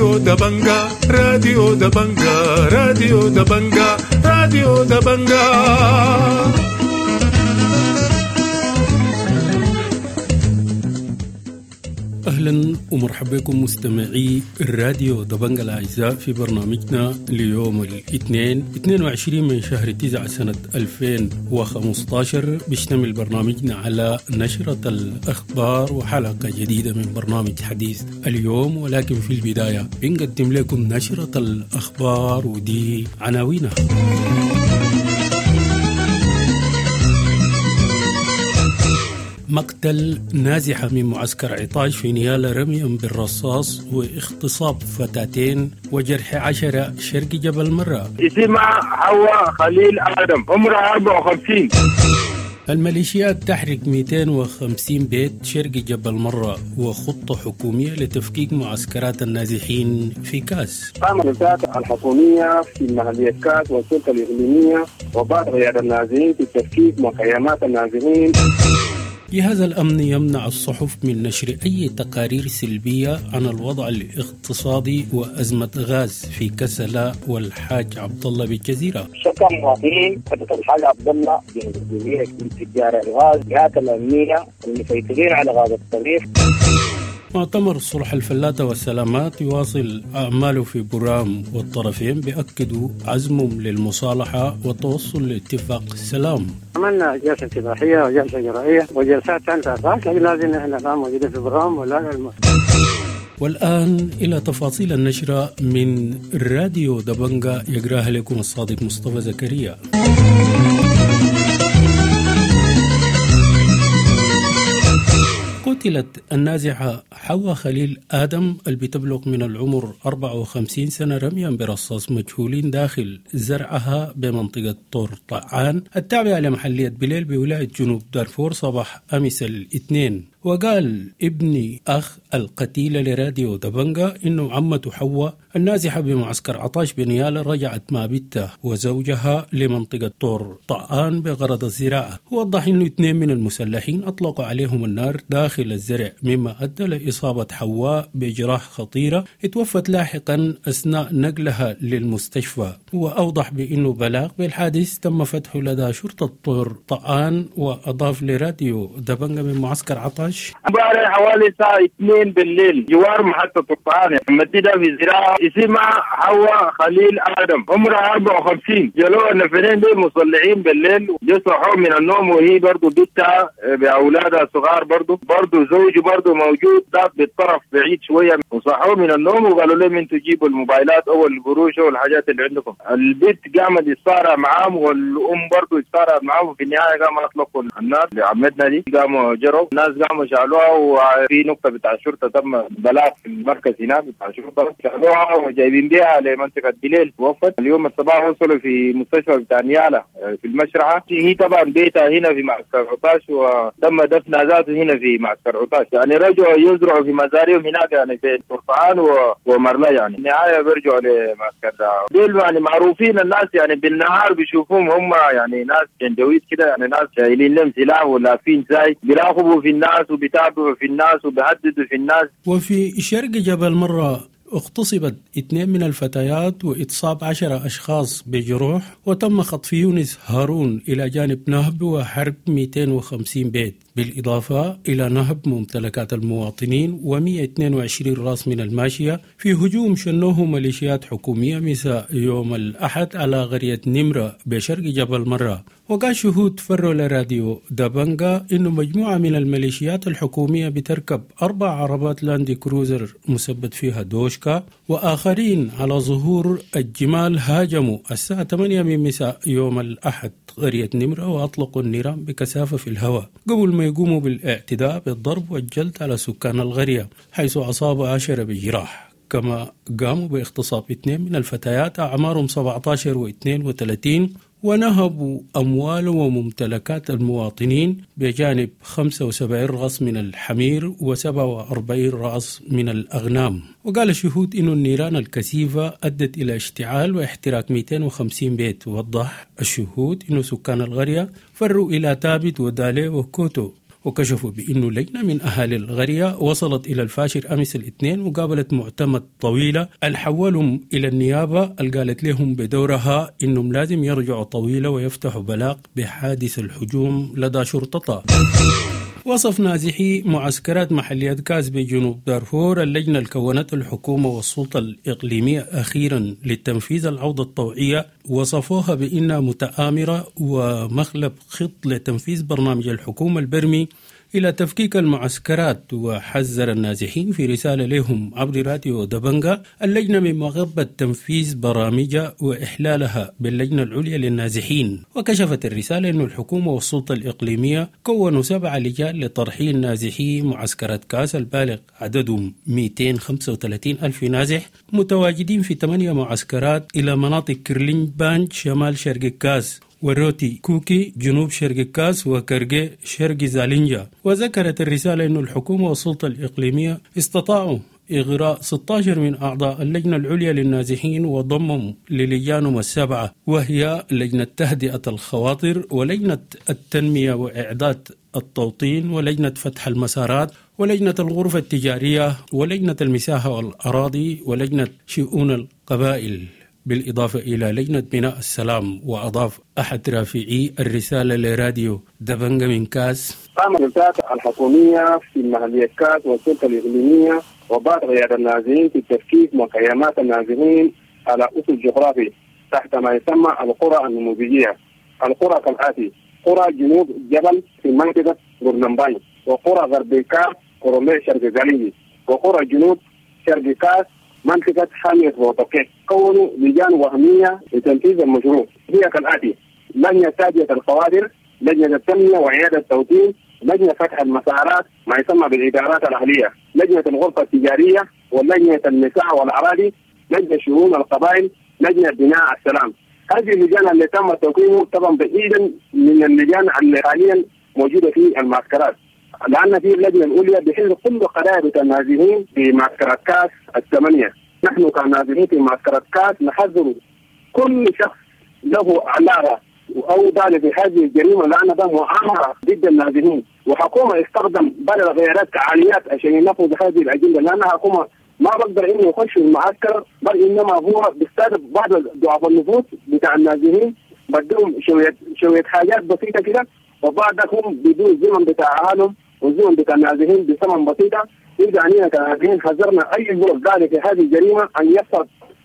راديو دبنجا، راديو دبنجا، راديو دبنجا، راديو دبنجا. أهلا ومرحبا بكم مستمعي الراديو دبنجا الأعزاء في برنامجنا ليوم الاثنين 22 من شهر 9 سنة 2015. بيشتمل برنامجنا على نشرة الأخبار وحلقة جديدة من برنامج حديث اليوم، ولكن في البداية بنقدم لكم نشرة الأخبار ودي عناوينها. مقتل نازحة من معسكر عطاش في نيالا رميا بالرصاص واغتصاب فتاتين وجرح 10 شرق جبل مرة. اسمها حواء خليل آدم، عمرها 54. الميليشيات تحرق 250 بيت شرق جبل مرة وخطة حكومية لتفكيك معسكرات النازحين في كاس. قام الوزارات الحكومية في محلية كاس والسلطة الإقليمية وبعض قيادة النازحين في تفكيك مخيمات النازحين. جهاز الأمن يمنع الصحف من نشر أي تقارير سلبية عن الوضع الاقتصادي وأزمة غاز في كسلا والحاج عبد الله بالجزيرة. شكا المواطنين فتاة الحاج عبد الله من تجار الغاز، جهات الأمنية المسيطرين على غاز الطريق. مؤتمر صلح الفلاتة والسلامات يواصل أعماله في برام، والطرفين بيأكدوا عزمهم للمصالحة والتوصل لاتفاق السلام. عملنا جلسة انتباهية وجلسة جرائية وجلسات ثانية، لكن لازم نحن الآن موجودين في برام ولا. والآن إلى تفاصيل النشرة من راديو دبنجا يقراها لكم الصادق مصطفى زكريا. قتلت النازحة حواء خليل آدم اللي بتبلغ من العمر 54 سنة رميا برصاص مجهولين داخل زرعها بمنطقة طور طعان التابعة لمحلية بليل بولاية جنوب دارفور صباح أمس الاثنين. وقال ابن أخ القتيلة لراديو دبنجا إنه عمته حواء النازحة بمعسكر عطاش بنيالا رجعت مع بنتها وزوجها لمنطقة طور طعان بغرض الزراعة. ووضح إنه 2 من المسلحين أطلقوا عليهم النار داخل الزرع مما أدى لإصابة حواء بجراح خطيرة اتوفت لاحقا أثناء نقلها للمستشفى. وأوضح بأنه بلاغ بالحادث تم فتحه لدى شرطة طور طعان. وأضاف لراديو دبنجا من معسكر عطاش امبارح حوالي الساعة 2 بالليل جوار محطة الطعام مدينة في زراعة اسمها حواء خليل آدم، عمرها 54. جلوها النفرين دول مصلعين بالليل، يصحوا من النوم وهي برضو بنتها بأولادها الصغار برضو زوجي برضو موجود ده بالطرف بعيد شوية، وصحوا من النوم وقالوا لهم انتوا جيبوا الموبايلات أو القروش أو الحاجات اللي عندكم. البنت قامت يتصارع معاهم والأم برضو يتصارع معاهم، وفي النهاية قاموا أطلقوا النار لعمتنا دي، قاموا جروا الناس قاموا شالوها. وفي نقطة بتاع الشرطة تم بلاغ في المركز هناك بتاع الشرطة، شالوها وجايبين بيها لمنطقة بليل. وفت اليوم الصباح وصلوا في مستشفى بتاع نيالا في المشرحة. هي طبعا بيتها هنا في معسكر عطاش وتم دفنها ذاته هنا في معسكر عطاش. يعني رجعوا يزرعوا في مزارعهم هناك يعني في طرطعان ومرلا، يعني النهاية بيرجعوا لمعسكر ده. دول يعني معروفين الناس، يعني بالنهار بيشوفوهم هم يعني ناس جنجويد كده، يعني ناس شايلين لهم سلاح ولافين زي بيراقبوا في الناس وبيتابعوا في الناس وبيهددوا في الناس. وفي شرق جبل مرة اغتصبت 2 من الفتيات وإتصاب 10 أشخاص بجروح، وتم خطف يونس هارون إلى جانب نهب وحرب 250 بيت، بالإضافة إلى نهب ممتلكات المواطنين و122 راس من الماشية في هجوم شنوه ميليشيات حكومية مساء يوم الأحد على قرية نمرة بشرق جبل مرة. وقال شهود فروا لراديو دبنجا إنه مجموعة من الميليشيات الحكومية بتركب 4 عربات لاندي كروزر مثبت فيها دوشكا وآخرين على ظهور الجمال هاجموا الساعة 8 من مساء يوم الأحد قرية نمرة وأطلقوا النيران بكثافة في الهواء قبل ما يقوموا بالاعتداء بالضرب والجلد على سكان القرية، حيث أصاب 10 بجراح. كما قاموا باغتصاب 2 من الفتيات أعمارهم 17 و32 ونهبوا أموال وممتلكات المواطنين بجانب 75 رأس من الحمير و47 رأس من الأغنام. وقال الشهود إن النيران الكثيفة أدت إلى اشتعال واحتراق 250 بيت. ووضح الشهود إن سكان القرية فروا إلى تابت ودالي وكوتو. وكشفوا بأنه لجنة من أهالي القرية وصلت إلى الفاشر أمس الاثنين وقابلت معتمد طويلة الحولهم إلى النيابة، اللي قالت لهم بدورها إنهم لازم يرجعوا طويلة ويفتحوا بلاغ بحادث الهجوم لدى شرطتها. وصف نازحي معسكرات محلية كاس بجنوب دارفور اللجنة اللي كونتها الحكومة والسلطة الإقليمية أخيرا للتنفيذ العودة الطوعية، وصفوها بأنها متآمرة ومخلب خط لتنفيذ برنامج الحكومة البرمي إلى تفكيك المعسكرات. وحذر النازحين في رسالة لهم عبر راديو دبنجا اللجنة من مغبة تنفيذ برامجها وإحلالها باللجنة العليا للنازحين. وكشفت الرسالة أن الحكومة والسلطة الإقليمية كونوا 7 لجان لترحيل نازحي معسكرات كاس البالغ عددهم 235 ألف نازح متواجدين في 8 معسكرات إلى مناطق كرلين بانج شمال شرق كاس، وروتي كوكي جنوب شرق كاس، وكرجي شرق زالينجا. وذكرت الرسالة أن الحكومة والسلطة الإقليمية استطاعوا إغراء 16 من أعضاء اللجنة العليا للنازحين وضمهم للجانهم 7، وهي لجنة تهدئة الخواطر، ولجنة التنمية وإعداد التوطين، ولجنة فتح المسارات، ولجنة الغرفة التجارية، ولجنة المساحة والأراضي، ولجنة شؤون القبائل، بالإضافة إلى لجنة بناء السلام. وأضاف أحد رافعي الرسالة لراديو دبنجا من كاس: قام الجلسات الحكومية في محلية كاس والسلطة الإقليمية وبعض قيادة النازحين في تفكيك مخيمات النازحين على أسس جغرافي تحت ما يسمى القرى النموذجية. القرى كالآتي: قرى جنوب جبل في منطقة غورنمباي، وقرى غرب كاس قرمي شرق زالينجي، وقرى جنوب شرق كاس منطقة حامية وطقيق. كونوا لجان وهمية لتنفيذ المشروع هي كالآتي: لجنة تهدئة القوادر، لجنة التنمية وإعادة التوطين، لجنة فتح المسارات ما يسمى بالإدارات الأهلية، لجنة الغرفة التجارية، ولجنة النساء والأراضي، لجنة شؤون القبائل، لجنة بناء السلام. هذه اللجان اللي تم توقيعه طبعا بعيدا من اللجان اللي حاليا موجودة في المعسكرات، لأن في اللجنة الأولى بحل كل قضايا النازحين في معسكرات كاس 8. نحن كنازحين في معسكرات كاس نحذر كل شخص له علاقة أو دال في هذه الجريمة، لأن ده مؤامرة ضد النازحين، وحكومة استخدم بعض الغيارات كعاليات عشان ينفذ هذه الأجندة، لأن حكومة ما بقدر إنه يخش المعسكر، بل إنما هو بيستهدف بعض ضعف النفوس بتاع النازحين، بدهم شوية حاجات بسيطة كده، وبعدهم بدون الزمن بتاع أهلهم والزمن بتاع النازحين بثمن بسيطة. إذا علينا كنازحين حذرنا أي زول ذلك في هذه الجريمة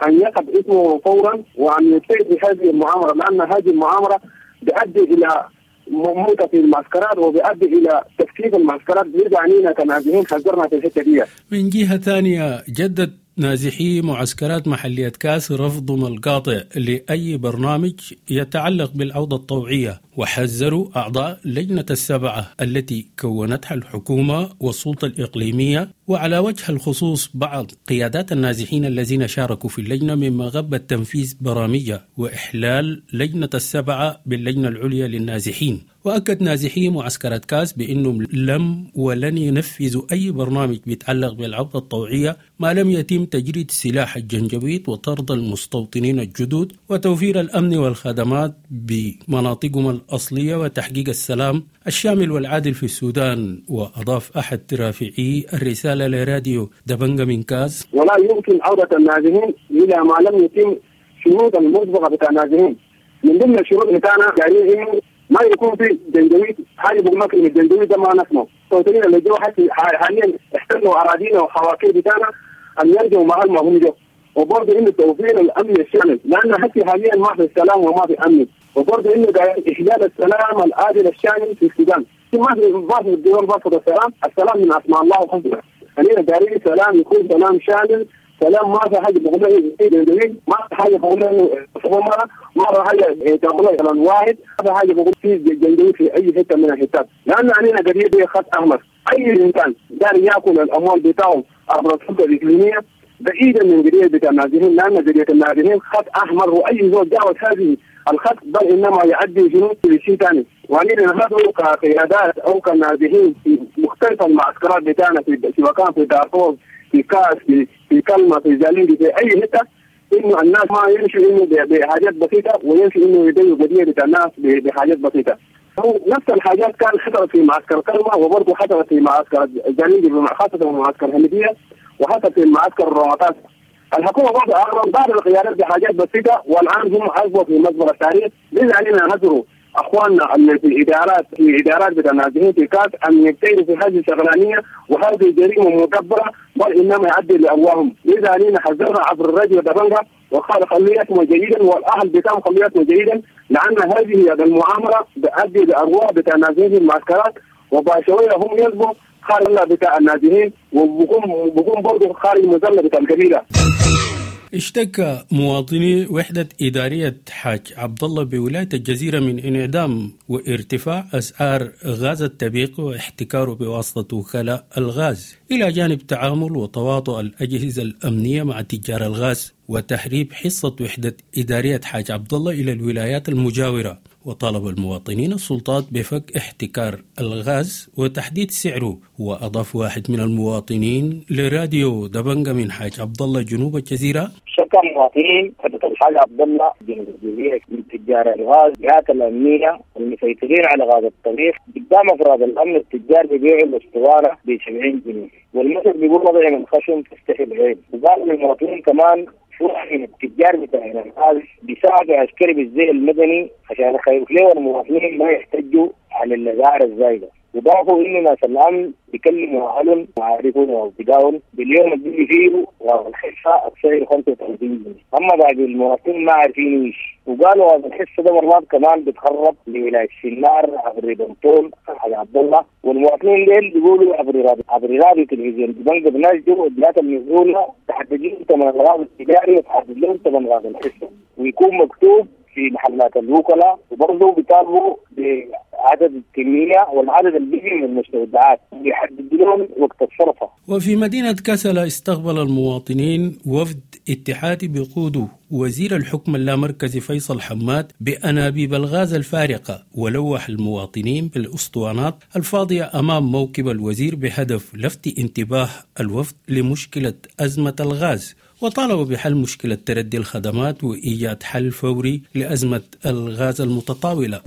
أن يقف اسمه فورا وأن يبتعد في هذه المؤامرة، لأن هذه المؤامرة بتؤدي إلى موتة في المعسكرات وبيؤدي إلى تفكيك المعسكرات. بيرجع علينا كنازحين حذرنا في الحتة دي. من جهة ثانية، جدد نازحي معسكرات محلية كاس رفضهم القاطع لأي برنامج يتعلق بالعودة الطوعية، وحذروا أعضاء لجنة 7 التي كونتها الحكومة والسلطة الإقليمية، وعلى وجه الخصوص بعض قيادات النازحين الذين شاركوا في اللجنة من مغبة تنفيذ برامجها وإحلال لجنة 7 باللجنة العليا للنازحين. وأكد نازحي معسكرات كاس بأنهم لم ولن ينفذوا أي برنامج بيتعلق بالعودة الطوعية ما لم يتم تجريد سلاح الجنجويد وطرد المستوطنين الجدد وتوفير الأمن والخدمات بمناطقهم الأصلية وتحقيق السلام الشامل والعادل في السودان. وأضاف أحد رافعي الرسالة لراديو دبنجا من كاس: ولا يمكن عودة النازحين إلى ما لم يتم شروط المسبقة بتاع النازحين. من ضمن الشروط بتاعنا يعني إنه ما يكون في جنجويد، حاجة بقول لك إن الجنجويد ده ما نسمعه. المستوطنين اللي جو حاليا احتلوا أراضينا وحواكير بتاعنا أن يرجعوا مع ما هم جو، وبرضه إنه توفير الأمن الشامل، لأن حتى حاليا ما في سلام وما في أمن، وبرضه إنه إحلال السلام العادل الشامل في السودان. ما في الدول برفض السلام، السلام من أسماء الله وحسنه. خلينا دارين سلام يكون سلام شامل، سلام ما في حاجة بقولها جنجويد، ما في حاجة بقولها ما في حاجة تقولها كلام واحد، ما في حاجة بقول في جنجويد في أي حتة من الحتات، لأن علينا قضية خط أحمر. أي إنسان دار يأكل الأموال بتاعه عبر السلطة الإقليمية بعيدا من قضية بتاع النازحين، لأن قضية النازحين خط أحمر، وأي زول جاوز هذه الخط بل إنما يؤدي شنو لشيء ثاني. وعلينا نحن كقيادات أو كنازحين في مختلف المعسكرات بتاعنا في سواء كان في دارفور، في كاس، في كلمة، في زالينجي، في أي حتة، إنه الناس ما يمشوا إنه بحاجات بسيطة ويمشوا إنه يديوا قضية بتاع الناس بحاجات بسيطة. نفس الحاجات كان حصلت في معسكر كلمة، وبرضه حصلت في معسكر جليل، خاصة معسكر هندية، وحصلت في معسكر الرمطات. الحكومة برضه أغرب بعض القيادات بحاجات بسيطة، والآن هم أصبحوا في مزبلة التاريخ. لذا علينا نذروا اخواننا اللي في ادارات بتاع النازحين في كاس ان يبتعدوا في هذه الشغلانيه، وهذه جريمة مدبره بل انما يؤدي لارواحهم. لذا علينا حذرنا عبر الراديو دبنجا وقال خليتهم جيدا والاهل بتاعهم خليتهم جيدا، لان هذه المؤامرة بتؤدي لارواح بتاع النازحين في المعسكرات، وبعد شوية هم يصبحوا خارج بتاع النازحين وبكون برضه خارج المظلة بتاع القبيلة. اشتكى مواطني وحدة إدارية حاج عبد الله بولاية الجزيرة من انعدام وارتفاع أسعار غاز التبيق واحتكاره بواسطة وكلاء الغاز، إلى جانب تعامل وتواطؤ الأجهزة الأمنية مع تجار الغاز وتهريب حصة وحدة إدارية حاج عبد الله إلى الولايات المجاورة. وطالب المواطنين السلطات بفك احتكار الغاز وتحديد سعره. وأضاف واحد من المواطنين لراديو دبنجا من حاج عبد الله جنوب الجزيرة: شكى المواطنين وحدة الحاج عبد الله جنوب الجزيرة من تجار الغاز، الجهات الأمنية المسيطرين على غاز الطبيخ. قدام أفراد الأمن التجار بيبيعوا الأسطوانة ب 70 جنيه، والمثل بيقول وضع من خشم تستحي العين. وقال للمواطنين كمان من التجار بتاع الغاز بيساعدوا عسكري بالزي المدني عشان يخوف له المواطنين ما يحتجوا على الاسعار الزايدة. وضافوا انه ناس الامن بيكلموا اهلهم وعارفهم واصدقائهم باليوم اللي بيجي فيه غاز الحصة السعر 35 جنيه، اما باقي المواطنين ما عارفين ايش. وقالوا غاز الحصة ده مرات كمان بتهرب لولاية سنار عبر بنطول حاج عبد الله، والمواطنين ديل بيقولوا عبر راديو تلفزيون بنك بناشدوا الجهات المسؤولة تحدد لهم ثمن الغاز التجاري وتحدد لهم ثمن غاز الحصة، ويكون مكتوب في محلات الوكلاء. وبرضه بيطالبوا بعدد الكمية والعدد اللي بيجي من المستودعات ويحدد لهم وقت الصرفة. وفي مدينة كسلا استقبل المواطنين وفد اتحادي بقوده وزير الحكم اللامركزي فيصل حماد بأنابيب الغاز الفارقة، ولوح المواطنين بالأسطوانات الفاضية أمام موكب الوزير بهدف لفت انتباه الوفد لمشكلة أزمة الغاز، وطالبوا بحل مشكلة تردي الخدمات وإيجاد حل فوري لأزمة الغاز المتطاولة.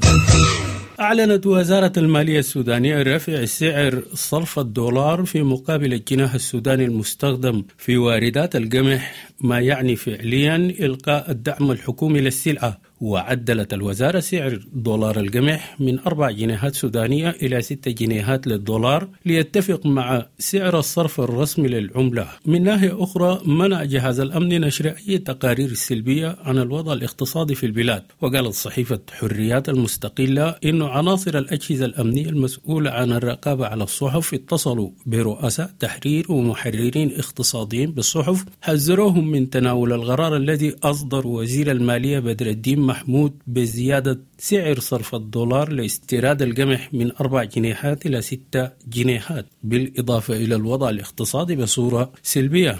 أعلنت وزارة المالية السودانية رفع سعر صرف الدولار في مقابل الجنيه السوداني المستخدم في واردات القمح، ما يعني فعليا إلقاء الدعم الحكومي للسلعة. وعدلت الوزارة سعر دولار القمح من 4 جنيهات سودانية إلى 6 جنيهات للدولار ليتفق مع سعر الصرف الرسمي للعملة. من ناحية أخرى، منع جهاز الأمن نشر أي تقارير سلبية عن الوضع الاقتصادي في البلاد. وقالت صحيفة حريات المستقلة إن عناصر الأجهزة الأمنية المسؤولة عن الرقابة على الصحف اتصلوا برؤساء تحرير ومحررين اقتصاديين بالصحف حذروهم من تناول القرار الذي أصدر وزير المالية بدر الدين محمود بزيادة سعر صرف الدولار لاستيراد القمح من 4 جنيهات إلى 6 جنيهات، بالإضافة إلى الوضع الاقتصادي بصورة سلبية.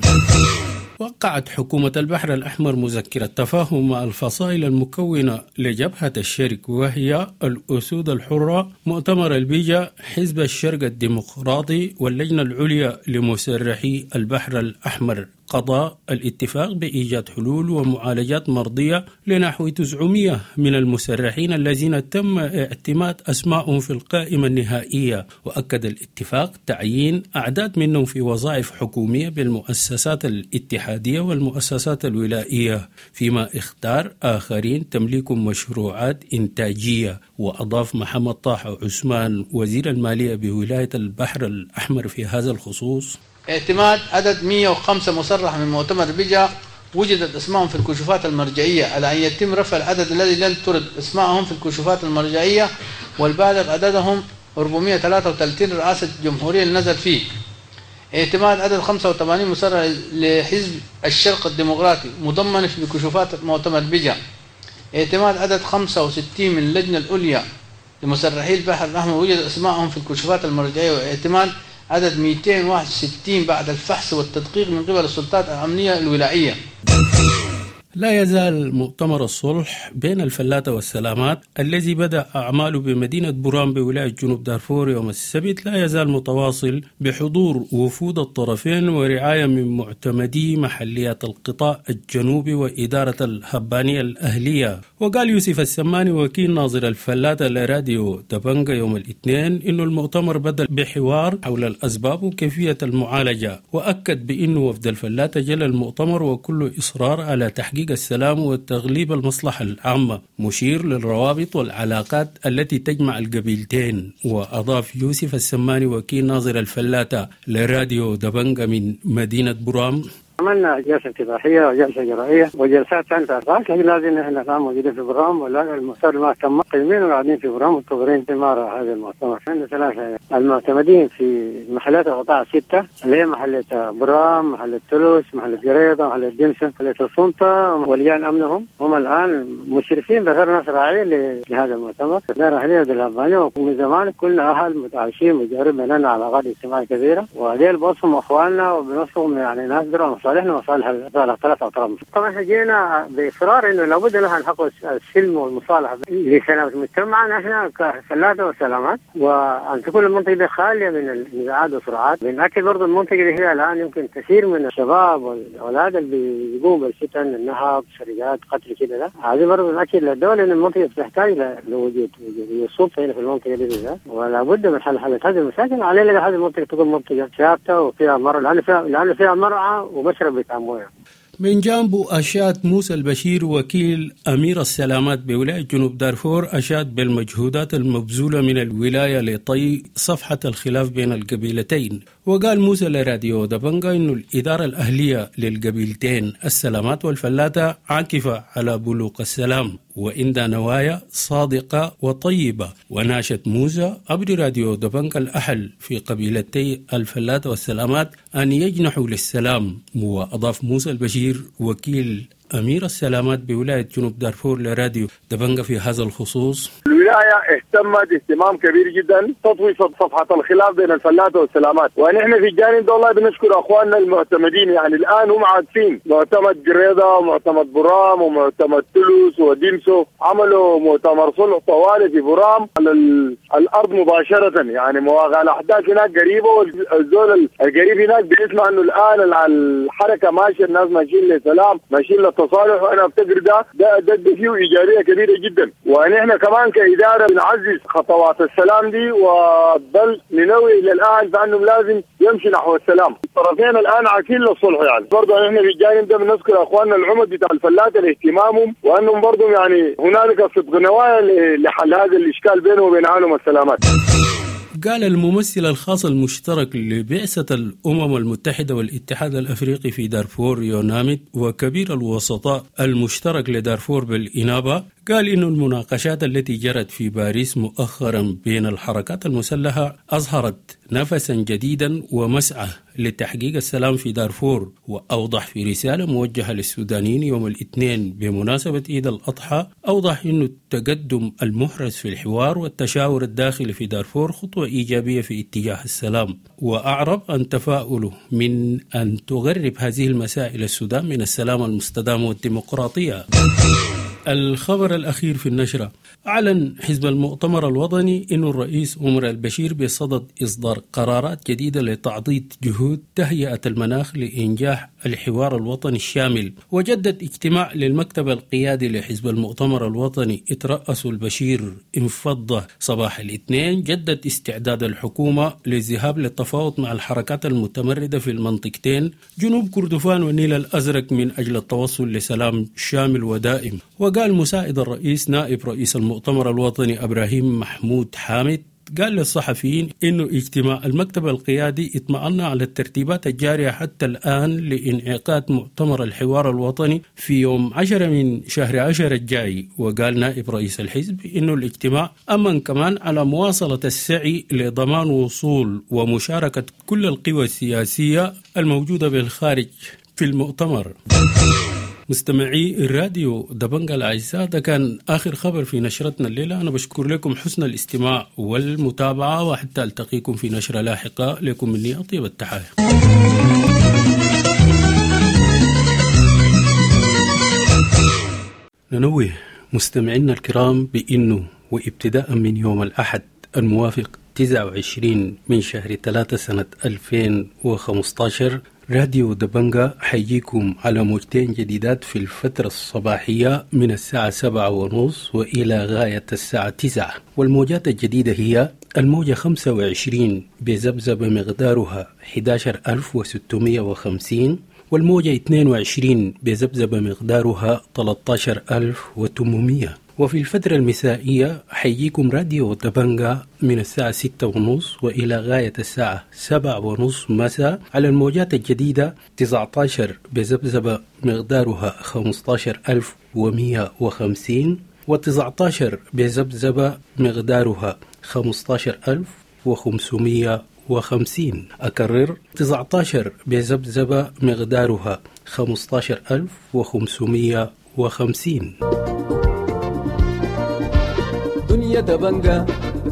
وقعت حكومة البحر الأحمر مذكرة تفاهم مع الفصائل المكونة لجبهة الشرق، وهي الأسود الحرة، مؤتمر البيجا، حزب الشرق الديمقراطي، واللجنة العليا لمسرحي البحر الأحمر. قضى الاتفاق بإيجاد حلول ومعالجات مرضية لنحو 900 من المسرحين الذين تم اعتماد أسمائهم في القائمة النهائية. وأكد الاتفاق تعيين أعداد منهم في وظائف حكومية بالمؤسسات الاتحادية والمؤسسات الولائية، فيما اختار آخرين تمليك مشروعات إنتاجية. وأضاف محمد طه عثمان وزير المالية بولاية البحر الأحمر في هذا الخصوص: اعتماد عدد 105 مصرح من مؤتمر بيجا وجدت اسمائهم في الكشوفات المرجعية، على أن يتم رفع العدد الذي لم ترد اسمائهم في الكشوفات المرجعية والبالغ عددهم 433 رئاسة الجمهورية اللي نزل فيه. اعتماد عدد 85 مصرح لحزب الشرق الديمقراطي مضمن في كشوفات مؤتمر بيجا. اعتماد عدد 65 من اللجنة العليا لمسرحي البحر الأحمر وجد اسمائهم في الكشوفات المرجعية، واعتماد عدد 261 بعد الفحص والتدقيق من قبل السلطات الأمنية الولائية. لا يزال مؤتمر الصلح بين الفلاتة والسلامات الذي بدأ أعماله بمدينة برام بولاية جنوب دارفور يوم السبت لا يزال متواصل بحضور وفود الطرفين ورعاية من معتمدي محليات القطاع الجنوبي وإدارة الهبانية الأهلية. وقال يوسف السماني وكيل ناظر الفلاتة لراديو دبنجا يوم الاثنين إنه المؤتمر بدأ بحوار حول الأسباب وكيفية المعالجة، وأكد بأنه وفد الفلاتة جل المؤتمر وكل إصرار على تحقيق السلام وتغليب المصلحة العامة، مشير للروابط والعلاقات التي تجمع القبيلتين. وأضاف يوسف السماني وكيل ناظر الفلاتة لراديو دبنجا من مدينة برام: عملنا جلسة افتتاحية وجلسة جرائية وجلسات ثانية أربعة، لكن لازم نحن الآن موجودين في برام ولا المؤتمر ما تم، قيمين وقاعدين في برام منتظرين ثمار هذا المؤتمر. عندنا 3 المعتمدين في محلات القطاع 6 اللي هي محلة برام، محلة تلوس، محلة جريضة، محلة دمسة، محلة السلطة ولجان أمنهم، هم الآن مشرفين بغير ناس راعيين لهذا المؤتمر. دار أهلية بالهبانية، ومن زمان كلنا أهل متعايشين مجارين بيننا علاقات اجتماعية كبيرة، وهذيل بوصفهم أخواننا وبنوصفهم يعني ناس دروا مصالحنا ومصالح ثلاث أطراف. طبعا احنا جينا بإصرار إنه لابد لها نحقق السلم والمصالحة لسلامة مجتمعنا احنا كفلاتة وسلامات، وأن تكون المنطقة خالية من النزاعات والصراعات. بنأكد برضه المنطقة اللي هي الآن يمكن كثير من الشباب والأولاد اللي بيقوموا بالفتن، النهب، سرقات، قتل كده، ده هذه برضه نأكد للدولة إن المنطقة تحتاج لوجود السلطة هنا في المنطقة دي بالذات، ولا بد من حل هذه المشاكل. علينا هذه المنطقة تكون منطقة ثابتة وفيها مرعى، لأنه فيها مرعى ومشرب بتاع مويه. من جانبه أشاد موسى البشير وكيل أمير السلامات بولاية جنوب دارفور أشاد بالمجهودات المبذولة من الولاية لطي صفحة الخلاف بين القبيلتين. وقال موسى لراديو دبنجا إنه الإدارة الأهلية للقبيلتين السلامات والفلاتة عاكفة على بلوغ السلام وإن نوايا صادقة وطيبة. وناشد موسى عبر راديو دبنجا الأحل في قبيلتي الفلاتة والسلامات أن يجنحوا للسلام. وأضاف موسى البشير وكيل أمير السلامات بولاية جنوب دارفور لراديو دبنجا في هذا الخصوص: الولاية اهتمت اهتمام كبير جدا تطوي صفحة الخلاف بين الفلاتة والسلامات، ونحن في الجانب ده والله بنشكر اخواننا المعتمدين، يعني الان هم عارفين معتمد جريدة ومعتمد برام ومعتمد تلوس وديمسو، عملوا مؤتمر صلح طوالي في برام على الارض مباشرة، يعني مواقع الاحداث هناك قريبة، والزول القريب هناك بيسمع انه الان الحركة ماشية، الناس ماشيين لسلام، ماشيين للتصالح، وانا افتكر ده فيه ايجابية كبيرة جدا. ونحن كمان كإدارة بنعزز خطوات السلام دي، وبل ننوي إلى الآن بأنهم لازم يمشي نحو السلام. الطرفين الآن عاكين للصلح، يعني برضه نحن في الجانب ده بنذكر أخواننا العمد بتاع الفلاتة لاهتمامهم، وأنهم برضه يعني هنالك صدق نوايا لحل هذا الإشكال بينهم وبين عالم السلامات. قال الممثل الخاص المشترك لبعثة الأمم المتحدة والاتحاد الأفريقي في دارفور يوناميد وكبير الوسطاء المشترك لدارفور بالإنابة، قال إن المناقشات التي جرت في باريس مؤخرا بين الحركات المسلحة أظهرت نفسا جديدا ومسعى لتحقيق السلام في دارفور. وأوضح في رسالة موجهة للسودانيين يوم الاثنين بمناسبة عيد الأضحى، أوضح أن التقدم المحرز في الحوار والتشاور الداخلي في دارفور خطوة إيجابية في اتجاه السلام، وأعرب عن تفاؤله من أن تغرب هذه المسائل السودان من السلام المستدام والديمقراطية. الخبر الأخير في النشرة: أعلن حزب المؤتمر الوطني أن الرئيس عمر البشير بصدد إصدار قرارات جديدة لتعضيد جهود تهيئة المناخ لإنجاح الحوار الوطني الشامل. وجدد اجتماع للمكتب القيادي لحزب المؤتمر الوطني اترأسه البشير انفض صباح الاثنين، جدد استعداد الحكومة للذهاب للتفاوض مع الحركات المتمردة في المنطقتين جنوب كردفان والنيل الأزرق من أجل التوصل لسلام شامل ودائم. وقال مساعد الرئيس نائب رئيس المؤتمر الوطني إبراهيم محمود حامد، قال للصحفيين إنه اجتماع المكتب القيادي اطمأن على الترتيبات الجارية حتى الآن لإنعقاد مؤتمر الحوار الوطني في يوم 10 من شهر 10 الجاي. وقال نائب رئيس الحزب إنه الاجتماع أمن كمان على مواصلة السعي لضمان وصول ومشاركة كل القوى السياسية الموجودة بالخارج في المؤتمر. مستمعي الراديو دبنجا الأعزاء، ده كان آخر خبر في نشرتنا الليلة. أنا بشكر لكم حسن الاستماع والمتابعة، وحتى ألتقيكم في نشرة لاحقة. لكم مني أطيب التحايا. ننوه مستمعينا الكرام بأنه وابتداء من يوم الأحد الموافق 29 من شهر 3 سنة 2015 راديو دبنجا حيجيكم على موجتين جديدات في الفترة الصباحية من الساعة 7:30 وإلى غاية الساعة 9. والموجات الجديدة هي الموجة 25 بذبذبة مقدارها 11650، والموجة 22 بذبذبة مقدارها 13800. وفي الفترة المسائية حيجيكم راديو دبنجا من الساعة 6:30 وإلى غاية الساعة 7:30 مساء على الموجات الجديدة 19 بذبذبة مقدارها 15150، و19 بذبذبة مقدارها 15550. أكرر، 19 بذبذبة مقدارها 15550. دنيا دبنجا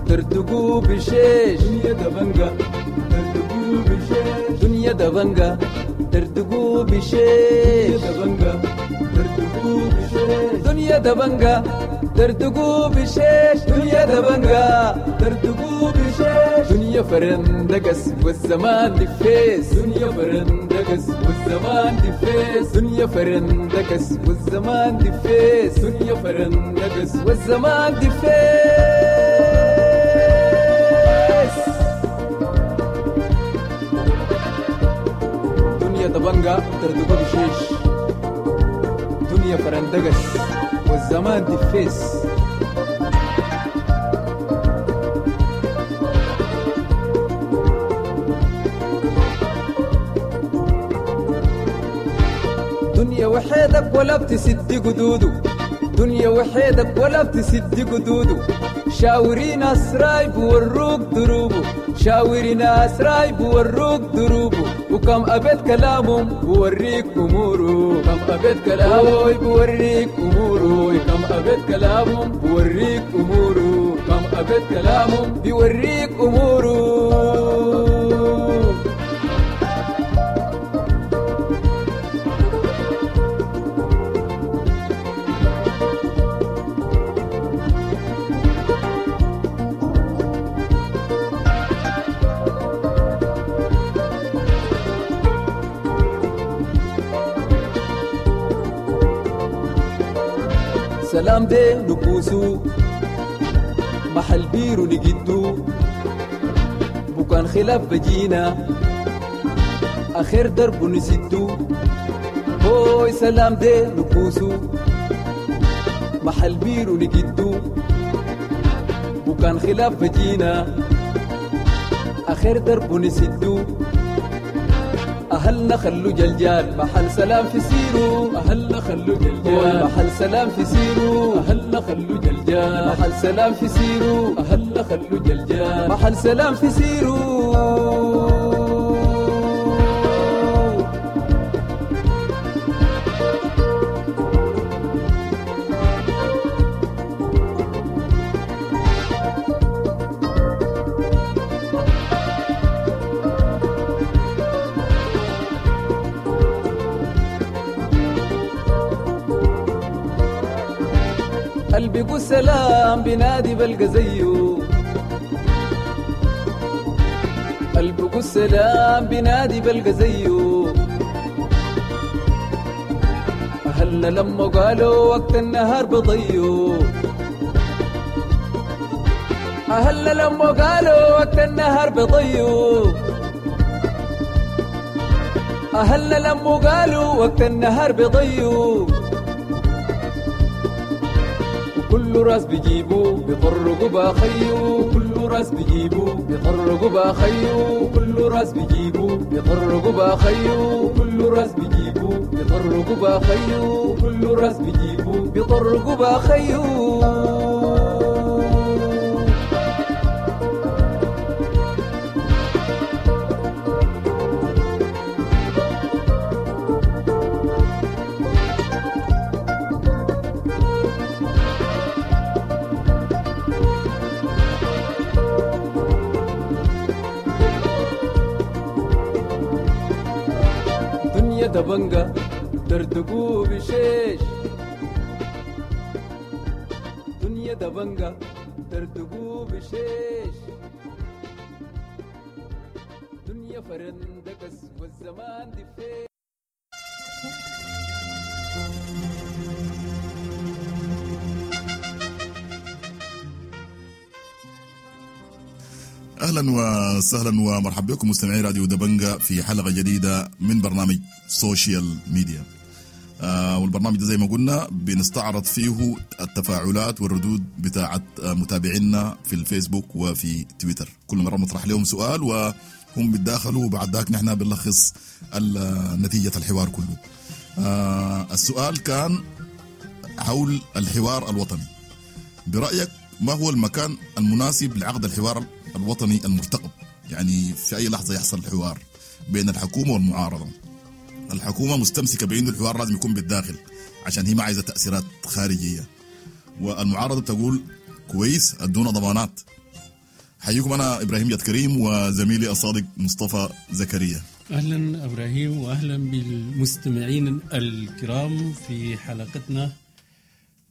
تردقوا بشيش، دنيا دبنجا تردقوا بشيش، دنيا دبنجا تردقوا بشيش، دبنجا تردقوا بشيش، دنيا دبنجا تردقوا بشيش، دنيا دبنجا تردقوا بشيش، دنيا فرندقس والزمان دفيس، دنيا فرندقس والزمان دفيس، دنيا فرندقس والزمان دفيس، دنيا فرندقس والزمان دفيس. دنيا دبنجا تردقوا بشيش، دنيا فرندقس والزمان دفيس. دنيا وحيدك ولا بتسد قدوده، دنيا وحيدك ولا بتسد قدوده، شاوري ناس رايب وروك دروبه، شاوري ناس رايب وروك دروبه، وكم أبيت كلامهم بوريك أموره، كم أبيت كلامه بوريك أموره، كم أبيت كلامهم بوريك أموره، كم أبيت كلامهم بيوريك أموره. سلام دي نكوسو محل بيرو نجدو، بكان خلاف بجينا آخر درب نسدو، هوي سلام دي نكوسو محل بيرو نجدو، بكان خلاف بجينا آخر درب نسدو، أهلنا خلو جلجال محل سلام في سيرو، أهلنا خلو جلجال محل سلام في سيرو، أهلنا خلو جلجال محل سلام في سيرو، أهلنا خلو جلجال محل سلام في سيرو. قلبي سلام بنادي بلقى زيه، قلبي سلام بنادي بلقى زيه، أهلنا لما قالوا وقت النهار بضيو، أهلنا لما قالوا وقت النهار بضيو، أهلنا لما قالوا وقت النهار بضيو، كل راس بيجيبو بيطرقوا باخيو، كل راس بيجيبو بيطرقوا باخيو، كل راس بيجيبو بيطرقوا باخيو، كل راس بيجيبو بيطرقوا باخيو، كل راس بيجيبو بيطرقوا باخيو. دنيا دبنجا دردقوا بشيش. دبنجة دردقوا بشيش دنيا فرندكس والزمان دفيش. اهلا وسهلا ومرحبا بكم مستمعي راديو دبنجة في حلقة جديدة من برنامج social media. والبرنامج ده زي ما قلنا بنستعرض فيه التفاعلات والردود بتاعت متابعينا في الفيسبوك وفي تويتر. كل مرة بنطرح لهم سؤال وهم بيتداخلوا، وبعد ذاك نحن بنلخص نتيجة الحوار كله. السؤال كان حول الحوار الوطني، برأيك ما هو المكان المناسب لعقد الحوار الوطني المرتقب؟ يعني في أي لحظة يحصل الحوار بين الحكومة والمعارضة. الحكومة مستمسكة بأن الحوار لازم يكون بالداخل عشان هي ما عايزة تأثيرات خارجية، والمعارضة تقول كويس ادونا ضمانات. حييكم أنا إبراهيم جاد كريم وزميلي الصادق مصطفى زكريا. أهلا إبراهيم وأهلا بالمستمعين الكرام في حلقتنا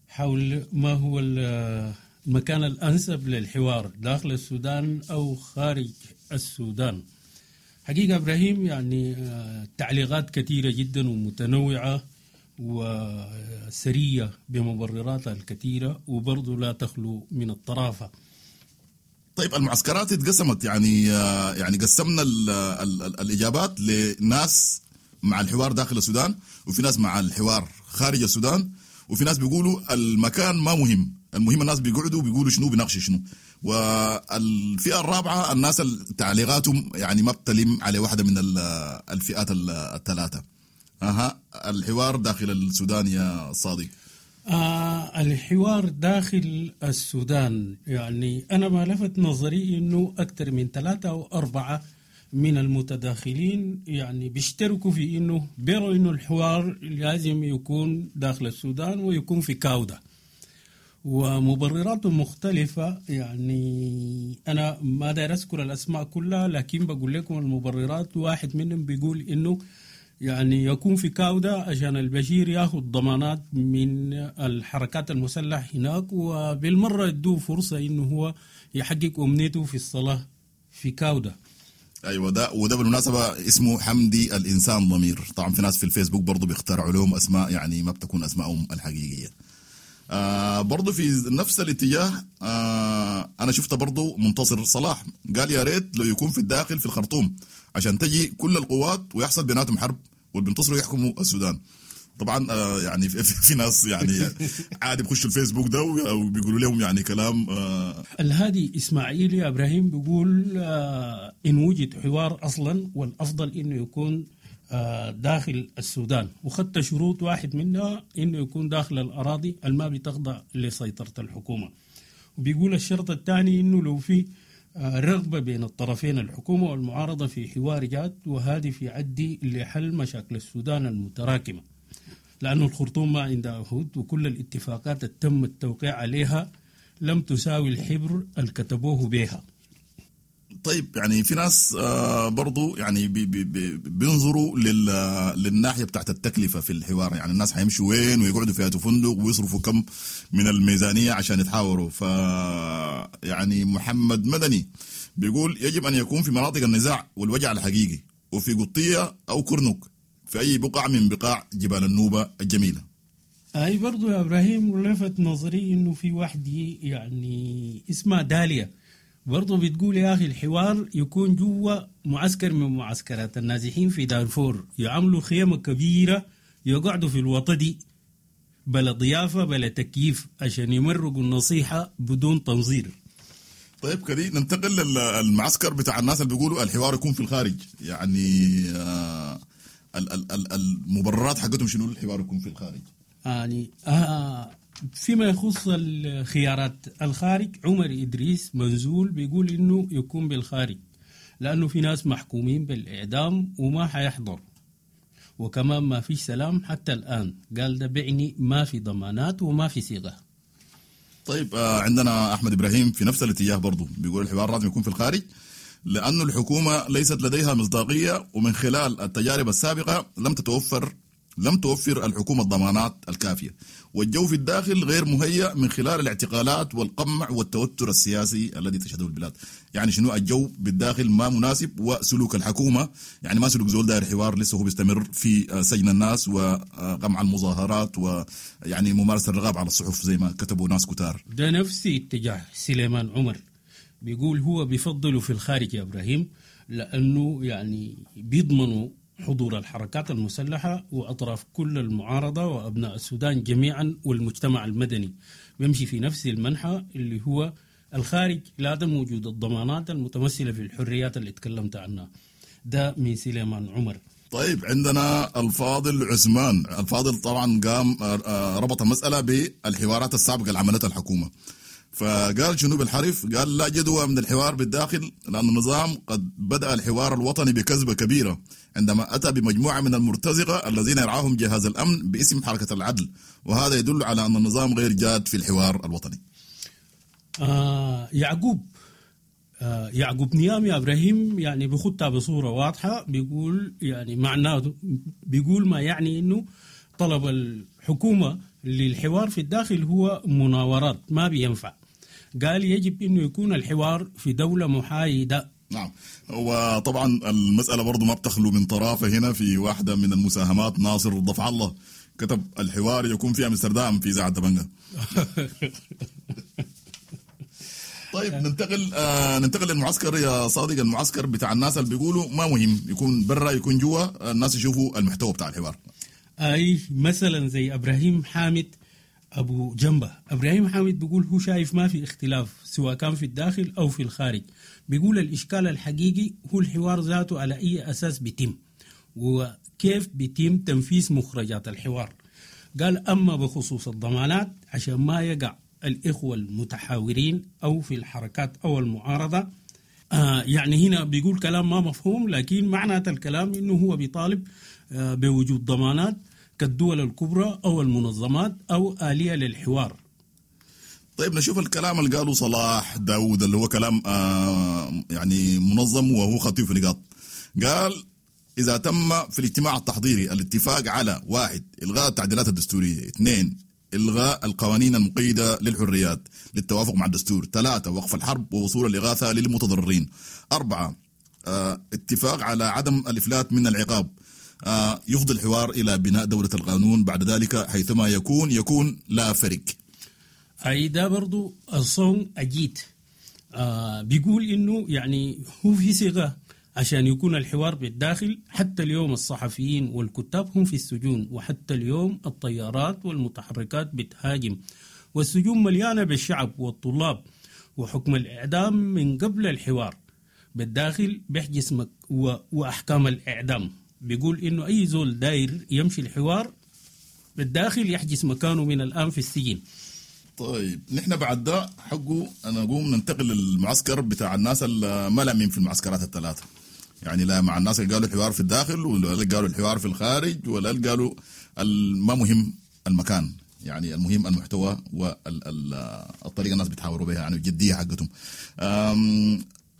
حول ما هو المكان الأنسب للحوار داخل السودان أو خارج السودان. حقيقة إبراهيم يعني تعليقات كثيرة جدا ومتنوعة وسرية بمبرراتها الكثيرة، وبرضو لا تخلو من الطرافة. طيب المعسكرات اتقسمت، يعني قسمنا ال ال الإجابات لناس مع الحوار داخل السودان، وفي ناس مع الحوار خارج السودان، وفي ناس بيقولوا المكان ما مهم، المهم الناس بيقعدوا بيقولوا شنو بيناقشوا شنو. والفئة الرابعة الناس تعليقاتهم يعني ما بتلم على واحدة من الفئات الثلاثة. الحوار داخل السودان يا صادق. الحوار داخل السودان، يعني أنا ما لفت نظري إنه أكثر من 3 أو 4 من المتداخلين يعني بيشتركوا في إنه بيروا إنه الحوار لازم يكون داخل السودان ويكون في كاودة، ومبررات مختلفة. يعني أنا ما داير أذكر الأسماء كلها، لكن بقول لكم المبررات. واحد منهم بيقول إنه يعني يكون في كاودة عشان البشير ياخذ ضمانات من الحركات المسلحة هناك، وبالمرة يدوه فرصة إنه هو يحقق أمنيته في الصلاة في كاودة. ايوه، ده وده بالمناسبة اسمه حمدي الانسان ضمير. طبعا في ناس في الفيسبوك برضه بيخترعوا لهم اسماء يعني ما بتكون اسمائهم الحقيقية. برضه في نفس الاتجاه انا شفت برضه منتصر صلاح قال يا ريت لو يكون في الداخل في الخرطوم عشان تجي كل القوات ويحصل بيناتهم حرب والبنتصروا يحكموا السودان. طبعا يعني في ناس يعني عادي بخشوا الفيسبوك ده وبيقولوا لهم يعني كلام. الهادي اسماعيل يا ابراهيم بيقول ان وجد حوار اصلا والافضل انه يكون داخل السودان، وخدت شروط واحد منها انه يكون داخل الاراضي الما بتخضع لسيطرة الحكومة. وبيقول الشرط الثاني انه لو في رغبة بين الطرفين الحكومة والمعارضة في حوار جاد وهادف يعدي لحل مشاكل السودان المتراكمة، لأنه الخرطوم ما عندها عهود وكل الاتفاقات اللي تم التوقيع عليها لم تساوي الحبر اللي كتبوه بها. طيب يعني في ناس برضو يعني بي بي بينظروا للناحية بتاعت التكلفة في الحوار، يعني الناس حيمشوا وين ويقعدوا في فندق ويصرفوا كم من الميزانية عشان يتحاوروا. ف يعني محمد مدني بيقول يجب أن يكون في مناطق النزاع والوجع الحقيقي، وفي قطية أو كرنك، في أي بقعة من بقاع جبال النوبة الجميلة. أي برضو يا إبراهيم لفت نظري إنه في واحدة يعني اسمها داليا برضو بتقول يا أخي الحوار يكون جوا معسكر من معسكرات النازحين في دارفور، يعملوا خيمة كبيرة يقعدوا في الوطدي بلا ضيافة بلا تكييف عشان يمرقوا النصيحة بدون تنظير. طيب كده ننتقل للمعسكر بتاع الناس اللي بيقولوا الحوار يكون في الخارج، يعني المبررات حقتهم شنو الحوار يكون في الخارج؟ يعني فيما يخص الخيارات الخارج، عمر إدريس منزول بيقول إنه يكون بالخارج لأنه في ناس محكومين بالإعدام وما حيحضر، وكمان ما في سلام حتى الآن. قال ده بعني ما في ضمانات وما في صيغة. طيب عندنا أحمد إبراهيم في نفس الاتجاه برضو بيقول الحوار لازم يكون في الخارج لأن الحكومة ليست لديها مصداقية، ومن خلال التجارب السابقة لم تتوفر لم توفر الحكومة الضمانات الكافية، والجو في الداخل غير مهيأ من خلال الاعتقالات والقمع والتوتر السياسي الذي تشهده البلاد. يعني شنو الجو بالداخل ما مناسب، وسلوك الحكومة يعني ما سلوك زول داير حوار، لسه هو بيستمر في سجن الناس وقمع المظاهرات ويعني ممارسة الرغاب على الصحف زي ما كتبوا ناس كتار. ده نفس اتجاه سليمان عمر، بيقول هو بيفضله في الخارج يا إبراهيم، لأنه يعني بيضمنوا حضور الحركات المسلحة وأطراف كل المعارضة وأبناء السودان جميعا والمجتمع المدني، بيمشي في نفس المنحى اللي هو الخارج لعدم وجود الضمانات المتمثلة في الحريات اللي تكلمت عنها. ده من سليمان عمر. طيب عندنا الفاضل عثمان. الفاضل طبعا قام ربط المسألة بالحوارات السابقة اللي عملتها الحكومة، فقال شنو بالحرف؟ قال لا جدوى من الحوار بالداخل، لأن النظام قد بدأ الحوار الوطني بكذبة كبيرة عندما أتى بمجموعة من المرتزقة الذين يرعاهم جهاز الأمن باسم حركة العدل، وهذا يدل على أن النظام غير جاد في الحوار الوطني. يعقوب نيام يا إبراهيم يعني بخطها بصورة واضحة، بيقول يعني معناه، بيقول ما يعني إنه طلب الحكومة للحوار في الداخل هو مناورات ما بينفع. قال يجب إنه يكون الحوار في دولة محايدة. نعم، وطبعا المسألة برضو ما بتخلو من طرافة. هنا في واحدة من المساهمات ناصر ضفع الله كتب الحوار يكون في أمستردام في إذاعة دبنجة. طيب ننتقل للمعسكر يا صادق. المعسكر بتاع الناس اللي بيقولوا ما مهم يكون برا يكون جوا، الناس يشوفوا المحتوى بتاع الحوار. أي مثلا زي إبراهيم حامد أبو جنبة. إبراهيم حامد بيقول هو شايف ما في اختلاف سواء كان في الداخل أو في الخارج. بيقول الإشكال الحقيقي هو الحوار ذاته على أي أساس بيتم وكيف بيتم تنفيذ مخرجات الحوار. قال أما بخصوص الضمانات عشان ما يقع الإخوة المتحاورين أو في الحركات أو المعارضة، يعني هنا بيقول كلام ما مفهوم، لكن معنى الكلام إنه هو بيطالب بوجود ضمانات كالدول الكبرى أو المنظمات أو آلية للحوار. طيب نشوف الكلام اللي قاله صلاح داود اللي هو كلام يعني منظم وهو خطير في نقاط. قال إذا تم في الاجتماع التحضيري الاتفاق على 1 إلغاء التعديلات الدستورية، 2 إلغاء القوانين المقيدة للحريات للتوافق مع الدستور، 3 وقف الحرب ووصول الإغاثة للمتضررين، 4 اتفاق على عدم الإفلات من العقاب، يفضي الحوار إلى بناء دولة القانون بعد ذلك حيثما يكون لا فرق. أي ده برضو الصون أجيت بيقول إنه يعني هو في صيغة عشان يكون الحوار بالداخل. حتى اليوم الصحفيين والكتاب هم في السجون، وحتى اليوم الطيارات والمتحركات بتهاجم، والسجون مليانة بالشعب والطلاب، وحكم الإعدام من قبل الحوار بالداخل بيحجز وأحكام الإعدام. بيقول إنه أي زول داير يمشي الحوار بالداخل يحجز مكانه من الآن في السجن. طيب نحن بعد ده حقه أنا أقوم ننتقل للمعسكر بتاع الناس اللي ما لامين في المعسكرات الثلاثة، يعني لا مع الناس اللي قالوا الحوار في الداخل ولا اللي قالوا الحوار في الخارج ولا اللي قالوا ما مهم المكان، يعني المهم المحتوى والطريقة الناس بيتحاوروا بها، يعني الجدية حقتهم.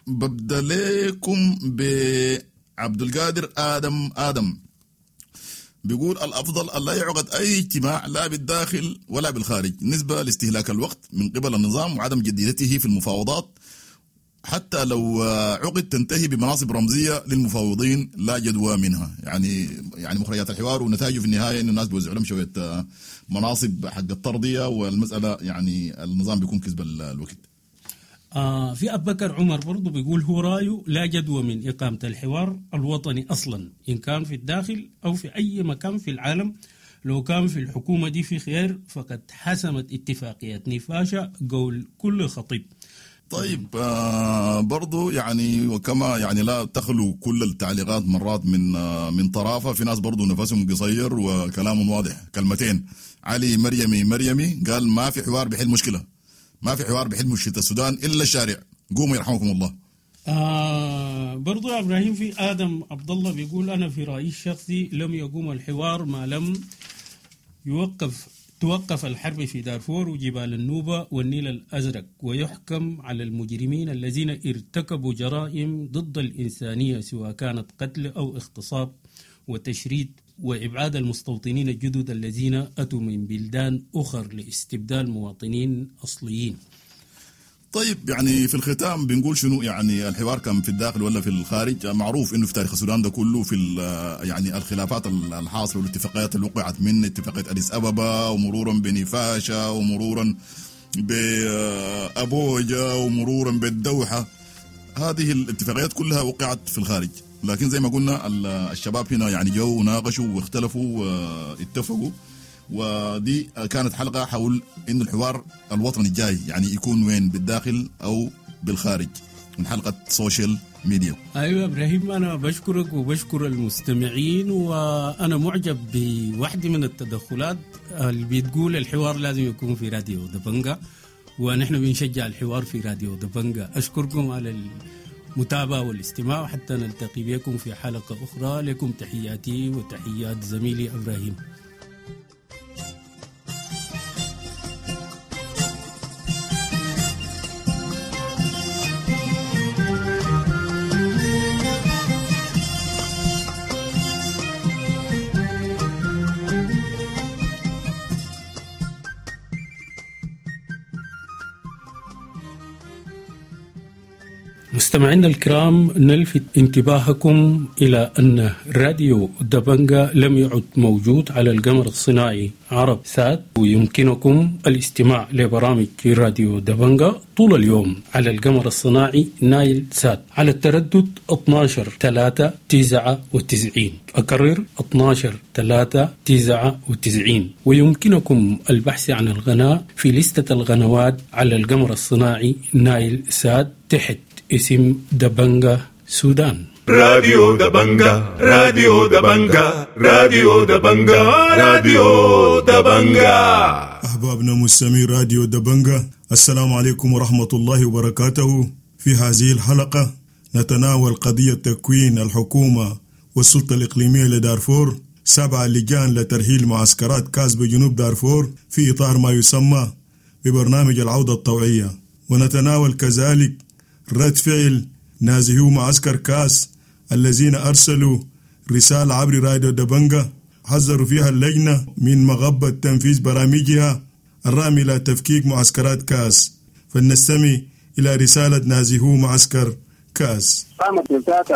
ببدأ لكم بعبد القادر آدم بيقول الأفضل أن لا يعقد أي اجتماع لا بالداخل ولا بالخارج نسبة لاستهلاك الوقت من قبل النظام وعدم جديته في المفاوضات، حتى لو عقد تنتهي بمناصب رمزية للمفاوضين لا جدوى منها. يعني مخرجات الحوار ونتائجه في النهاية إنه الناس بيوزعوا لهم شوية مناصب حق الترضية، والمسألة يعني النظام بيكون كسب الوقت. في أبو بكر عمر برضو بيقول هو رأيه لا جدوى من إقامة الحوار الوطني أصلا، إن كان في الداخل أو في أي مكان في العالم. لو كان في الحكومة دي في خير فقد حسمت اتفاقية نيفاشا قول كل خطيب. طيب برضو يعني وكما يعني لا تخلو كل التعليقات مرات من طرافة، في ناس برضو نفسهم قصير وكلامهم واضح. كلمتين علي مريمي قال ما في حوار بحل مشكلة، ما في حوار بحل مشكلة السودان إلا الشارع، قوموا يرحمكم الله. برضو يا إبراهيم في آدم عبد الله بيقول أنا في رأيي الشخصي لم يقوم الحوار ما لم توقف الحرب في دارفور وجبال النوبة والنيل الأزرق، ويحكم على المجرمين الذين ارتكبوا جرائم ضد الإنسانية سواء كانت قتل أو اغتصاب وتشريد وإبعاد المستوطنين الجدد الذين أتوا من بلدان أخر لاستبدال مواطنين أصليين. طيب، يعني في الختام بنقول شنو؟ يعني الحوار كان في الداخل ولا في الخارج؟ معروف انه في تاريخ السودان ده كله في يعني الخلافات الحاصلة والاتفاقيات اللي وقعت من اتفاقية اديس ابابا ومرورا بنيفاشا ومرورا بابوجا ومرورا بالدوحه، هذه الاتفاقيات كلها وقعت في الخارج. لكن زي ما قلنا الشباب هنا يعني جو وناقشوا واختلفوا واتفقوا، ودي كانت حلقة حول إنه الحوار الوطني الجاي يعني يكون وين، بالداخل أو بالخارج، من حلقة social media. أيوة إبراهيم، أنا بشكرك وبشكر المستمعين، وأنا معجب بواحدة من التدخلات اللي بتقول الحوار لازم يكون في راديو دبنجا، ونحن بنشجع الحوار في راديو دبنجا. أشكركم على المتابعة والاستماع، حتى نلتقي بكم في حلقة أخرى. لكم تحياتي وتحيات زميلي إبراهيم. مستمعينا الكرام، نلفت انتباهكم إلى أن راديو دبنجا لم يعد موجود على القمر الصناعي عرب سات، ويمكنكم الاستماع لبرامج راديو دبنجا طول اليوم على القمر الصناعي نايل سات على التردد 12/399. أكرر 12/399. ويمكنكم البحث عن القناة في لستة القنوات على القمر الصناعي نايل سات تحت اسم دبنجا سودان. راديو دبنجا، راديو دبنجا، راديو دبنجا، راديو دبنجا. أحبابنا مستمعي راديو دبنجا، السلام عليكم ورحمة الله وبركاته. في هذه الحلقة نتناول قضية تكوين الحكومة والسلطة الإقليمية لدارفور، 7 لجان لترحيل معسكرات كاس بجنوب دارفور في إطار ما يسمى ببرنامج العودة الطوعية، ونتناول كذلك رد فعل نازحو معسكر كاس الذين أرسلوا رسالة عبر راديو دبنجا حذروا فيها اللجنة من مغبة تنفيذ برامجها الرامي إلى تفكيك معسكرات كاس. فلنستمع إلى رسالة نازحو معسكر كاس. قامت السلطات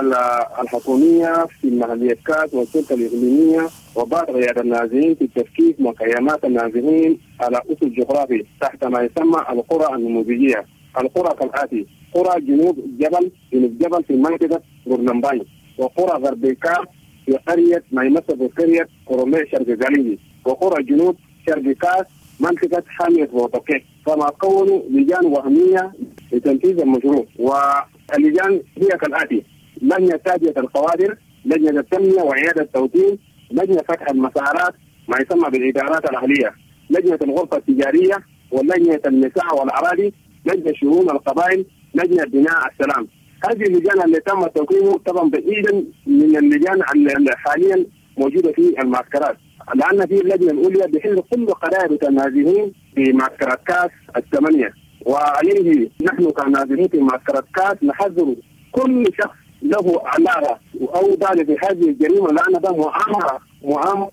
الحكومية في محلية كاس والسلطة الإقليمية وبعض قيادة النازحين في تفكيك مخيمات النازحين على أسس جغرافي تحت ما يسمى القرى النموذجية. القرى كالآتي: قرى جنوب جبل، جنوب جبل في منطقة غورنمباي، وقرى غرب كاس في قرية ما يمثل بقرية قرمي شرق غاليلي، وقرى جنوب شرق كاس منطقة حامية بوطوكي. كما كونوا لجان وهمية لتنفيذ المشروع، واللجان هي كالآتي: لجنة تادية القوادر، لجنة التنمية وإعادة التوطين، لجنة فتح المسارات ما يسمى بالإدارات الأهلية، لجنة الغرفة التجارية، ولجنة النساء والأراضي، لجنة شؤون القبائل، لجنة بناء السلام. هذه اللجان اللي تم توقيعه طبعا بعيدا من اللجان اللي حاليا موجودة في المعسكرات، لان في اللجنة الاولى بحل كل قرارات النازحين في معسكرات كاس 8. وعليه نحن كنازحين في معسكرات كاس نحذر كل شخص له علاقة او دال في هذه الجريمة، لان ده مؤامرة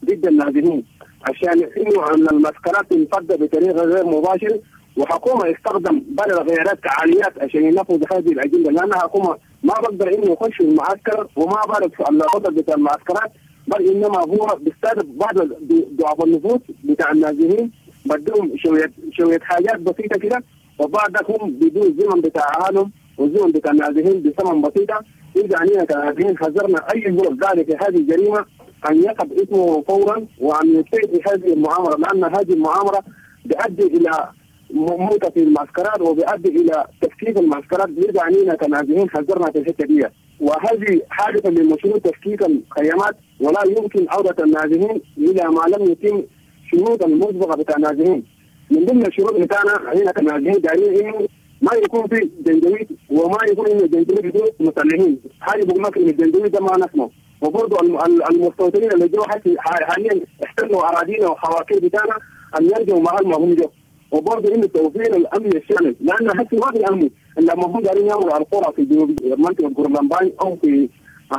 ضد النازحين، عشان انه ان المعسكرات تنفض بطريقة غير مباشرة، وحكومة استخدم بعض الغيارات كعاليات عشان ينفذ هذه الاجندة، لان حكومة ما بقدر انه يخش المعسكر وما بعرف الوضع بتاع المعسكرات، بل انما هو بيستهدف بعض ضعف النفوس بتاع النازحين، بدهم شوية حاجات بسيطة كده، وبعد هم بدون الزمن بتاع اهلهم والزمن بتاع النازحين بثمن بسيطة. اذا علينا كنازحين حذرنا اي زول ذلك في هذه الجريمة ان يقف اسمه فورا وان يبتعد في هذه المؤامرة، لان هذه المؤامرة بتؤدي الى موتة في المعسكرات وبيؤدي الى تفكيك المعسكرات. بيرجع علينا كنازحين حذرنا في الحتة دي، وهذه حادثه لمشروع تفكيك الخيمات، ولا يمكن عوده النازحين الى ما لم يتم شروط المسبقة بتاع النازحين. من ضمن الشروط بتاعنا علينا كنازحين دايرين انه ما يكون في جنجويد، وما يكون انه الجنجويد دول مسلحين، حاجة بقول لك ان الجنجويد ده ما نسمعه. وبرضه المستوطنين اللي جو حاليا احتلوا اراضينا وحواكير بتاعنا ان يرجعوا محل ما هم جو، وبرضه انه توفير الامن الشامل، لان هسه ما في امن لما هم دارين يعملوا القرى في جنوب منطقة غورنمباي او في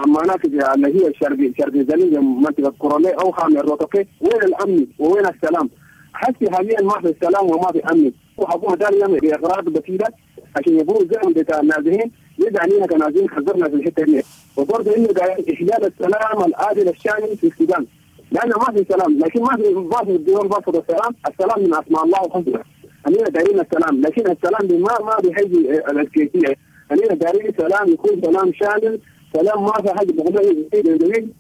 مناطق اللي هي شرق زالينجا، منطقة كورولي او خامي الروتوكي. وين الامن وين السلام؟ حسي حاليا ما في سلام وما في امن، وحكومة داريه باغراض بسيطة عشان يبروا الزمن بتاع النازحين، يدعي علينا كنازحين حذرنا في الحتة دي، وبرضه انه احلال السلام العادل الشامل في السودان، لانه ما في سلام، لكن ما في الدول برفض السلام، السلام من اسماء الله الحسنى. خلينا دايرين السلام، لكن السلام ما بيحيي الكيفية، خلينا دايرين سلام يكون سلام شامل، سلام ما في حاجة بقول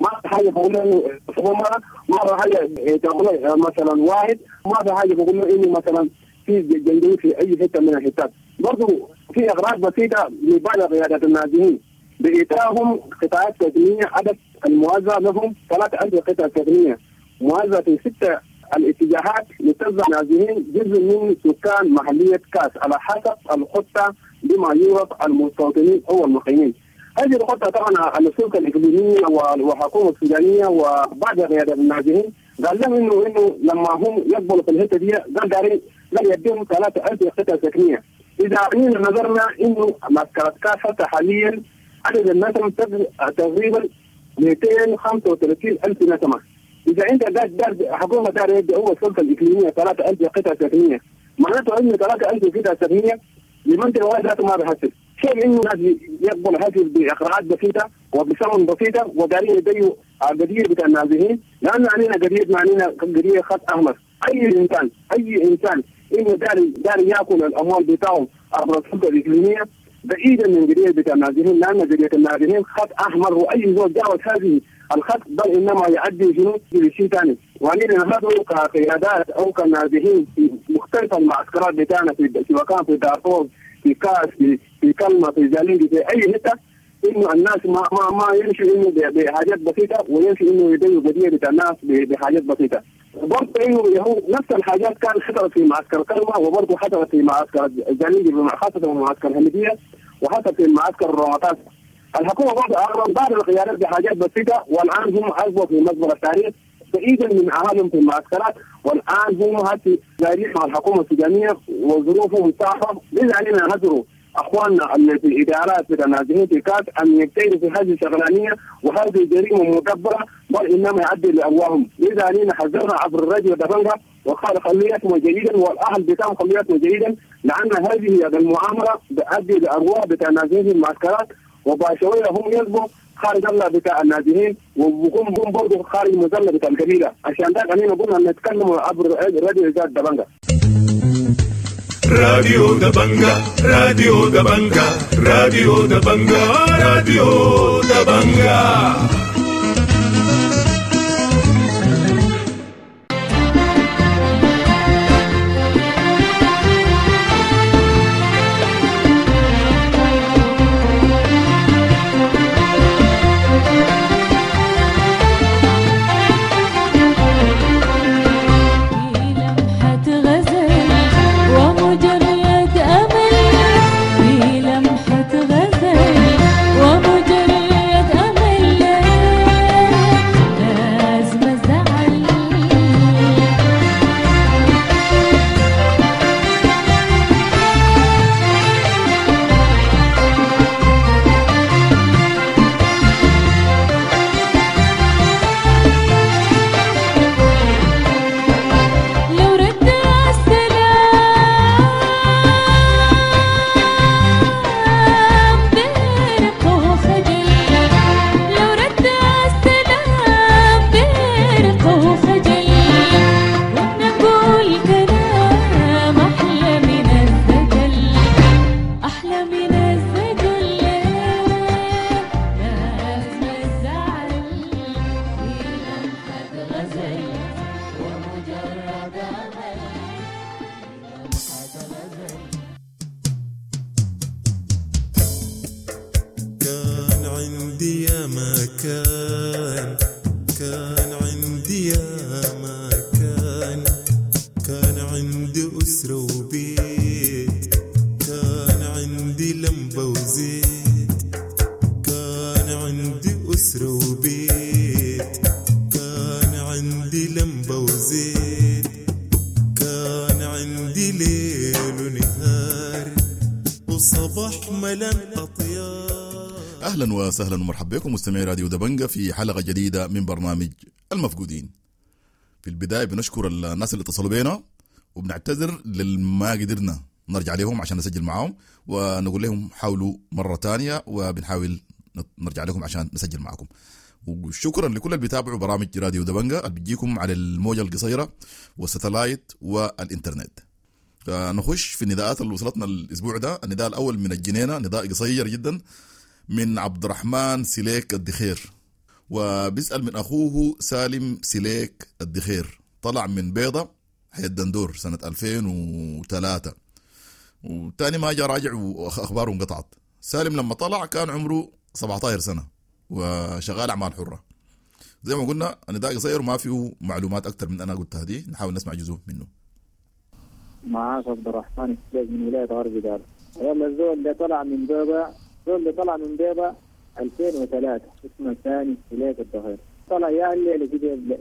ما في حاجة بقول ما في حاجة تقول مثلا واحد، ما في حاجة بقول انه مثلا في جندي في اي حتة من الحتات. برضه في اغراض بسيطة لبعض قيادات النازحين بإيتاهم قطاعات سكنية، عدد الموزع لهم 3000 قطعه سكنية موزعة في 6 الاتجاهات لتوزع نازحين جزء من سكان محليه كاس على حسب الخطة بما يعرف المستوطنين او المقيمين. هذه الخطة طبعا السلطة الاقليمية والحكومة السودانية وبعض قيادات النازحين قال لهم انه لما هم يقبلوا في الحتة دي قال دارين لا يديهم 3000 قطعه سكنية. اذا نظرنا انه معسكرات كاس حتى حاليا عدد النسمة تقريبا 235,000 نسمة. إذا أنت دار حكومة دار يدي هو السلطة الإقليمية 3000 قطعة سكنية، معناته إنه 3000 قطعة سكنية لمنطقة واحدة ذاته ما بحسب. كيف إنه الناس يقبل هذه بإقراءات بسيطة وبثمن بسيطة ودارين يديوا القضية بتاع النازحين، لأن علينا قضية علينا قضية خط أحمر. أي إنسان إنه دار يأكل الأموال بتاعهم عبر السلطة الإقليمية بعيدا من قضية بتاع النازحين، لأن قضية النازحين خط أحمر، وأي زول جاوز هذه الخط بل إنما يؤدي شنو لشيء ثاني. وعلينا نحن كقيادات أو كنازحين في مختلف المعسكرات بتاعنا في سواء كان في دارفور، في كاس، في كلمة، في زالينجي، في أي حتة، إنه الناس ما يمشوا إنه بحاجات بسيطة ويمشوا إنه يديوا قضية بتاع الناس بحاجات بسيطة. برضه انه هو نفس الحاجات كان حصلت في معسكر كلمة، وبرضه حصلت في معسكر زالينجي خاصة في معسكر الهندية، وحصلت في معسكر الرمطات. الحكومة برضه اغرب بعض القيادات بحاجات بسيطة، والان هم اصبحوا في مزبلة التاريخ بعيدا من اهالهم في المعسكرات، والان هم هسه دايرين مع الحكومة السودانية وظروفهم صعبة. لذا علينا نهجروا اخواننا اللي في الادارات بتاع النازحين في كاس ان يبتعدوا في هذه الشغلانيه، وهذه جريمة مدبره بل انما يؤدي لارواحهم. لذا علينا حذرنا عبر الراديو دبنجا وقال خليتهم جيدا والاهل بتاعهم خليتهم جيدا، لان هذه المؤامرة تؤدي لارواح بتاع النازحين في المعسكرات، وبعد شوية هم يصبحوا خارج الله بتاع النازحين، وبكون هم برضه خارج مظلة بتاع القبيلة. عشان ده خلينا قلنا نتكلم عبر الراديو دبنجا. راديو دبنجا، راديو دبنجا، راديو دبنجا، راديو دبنجا. اهلا وسهلا ومرحبا بكم مستمعي راديو دبنجة في حلقة جديدة من برنامج المفقودين. في البداية بنشكر الناس اللي اتصلوا بينا، وبنعتذر للما قدرنا نرجع لهم عشان نسجل معاهم، ونقول لهم حاولوا مرة تانية وبنحاول نرجع لكم عشان نسجل معكم. وشكرا لكل اللي بيتابعوا برامج راديو دبنجة اللي بتجيكم على الموجه القصيرة والستلايت والانترنت. نخش في النداءات اللي وصلتنا الاسبوع ده. النداء الاول من الجنينة، نداء قصير جدا من عبد الرحمن سليك الدخير، وبيسأل من أخوه سالم سليك الدخير، طلع من بيضة حي الدندور سنة 2003، وتاني ما جاء راجع وأخباره انقطعت. سالم لما طلع كان عمره 17 سنة وشغال أعمال حرة. زي ما قلنا النداء قصير وما فيه معلومات أكتر من أنا قلتها دي، نحاول نسمع جزء منه. معاك عبد الرحمن سليك من ولاية غرب دار. والله الزول اللي طلع من بيضة، الزول اللي طلع من بيضة 2003 اسمه ثاني سليك الدخير، طلع يا الليلة كده،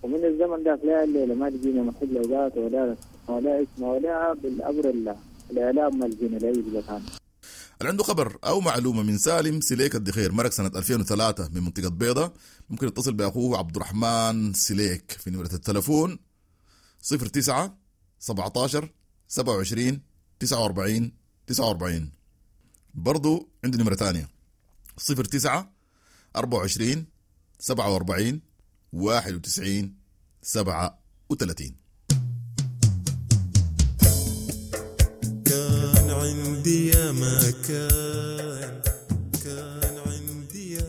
ومن الزمن ده لا الليلة ما لقينا محل ذات ولا اسمه ولا بالأمر الله الإعلام ما لقينا لا يوجد. اللي عنده خبر أو معلومة من سالم سليك الدخير مرق سنة 2003 من منطقة بيضة، ممكن يتصل بأخوه عبد الرحمن سليك في نمرة التلفون 09 17 27 49 49. برضو عنده نمرة تانية 09 24 47 91 37. كان عندي يا مكان، كان عندي يا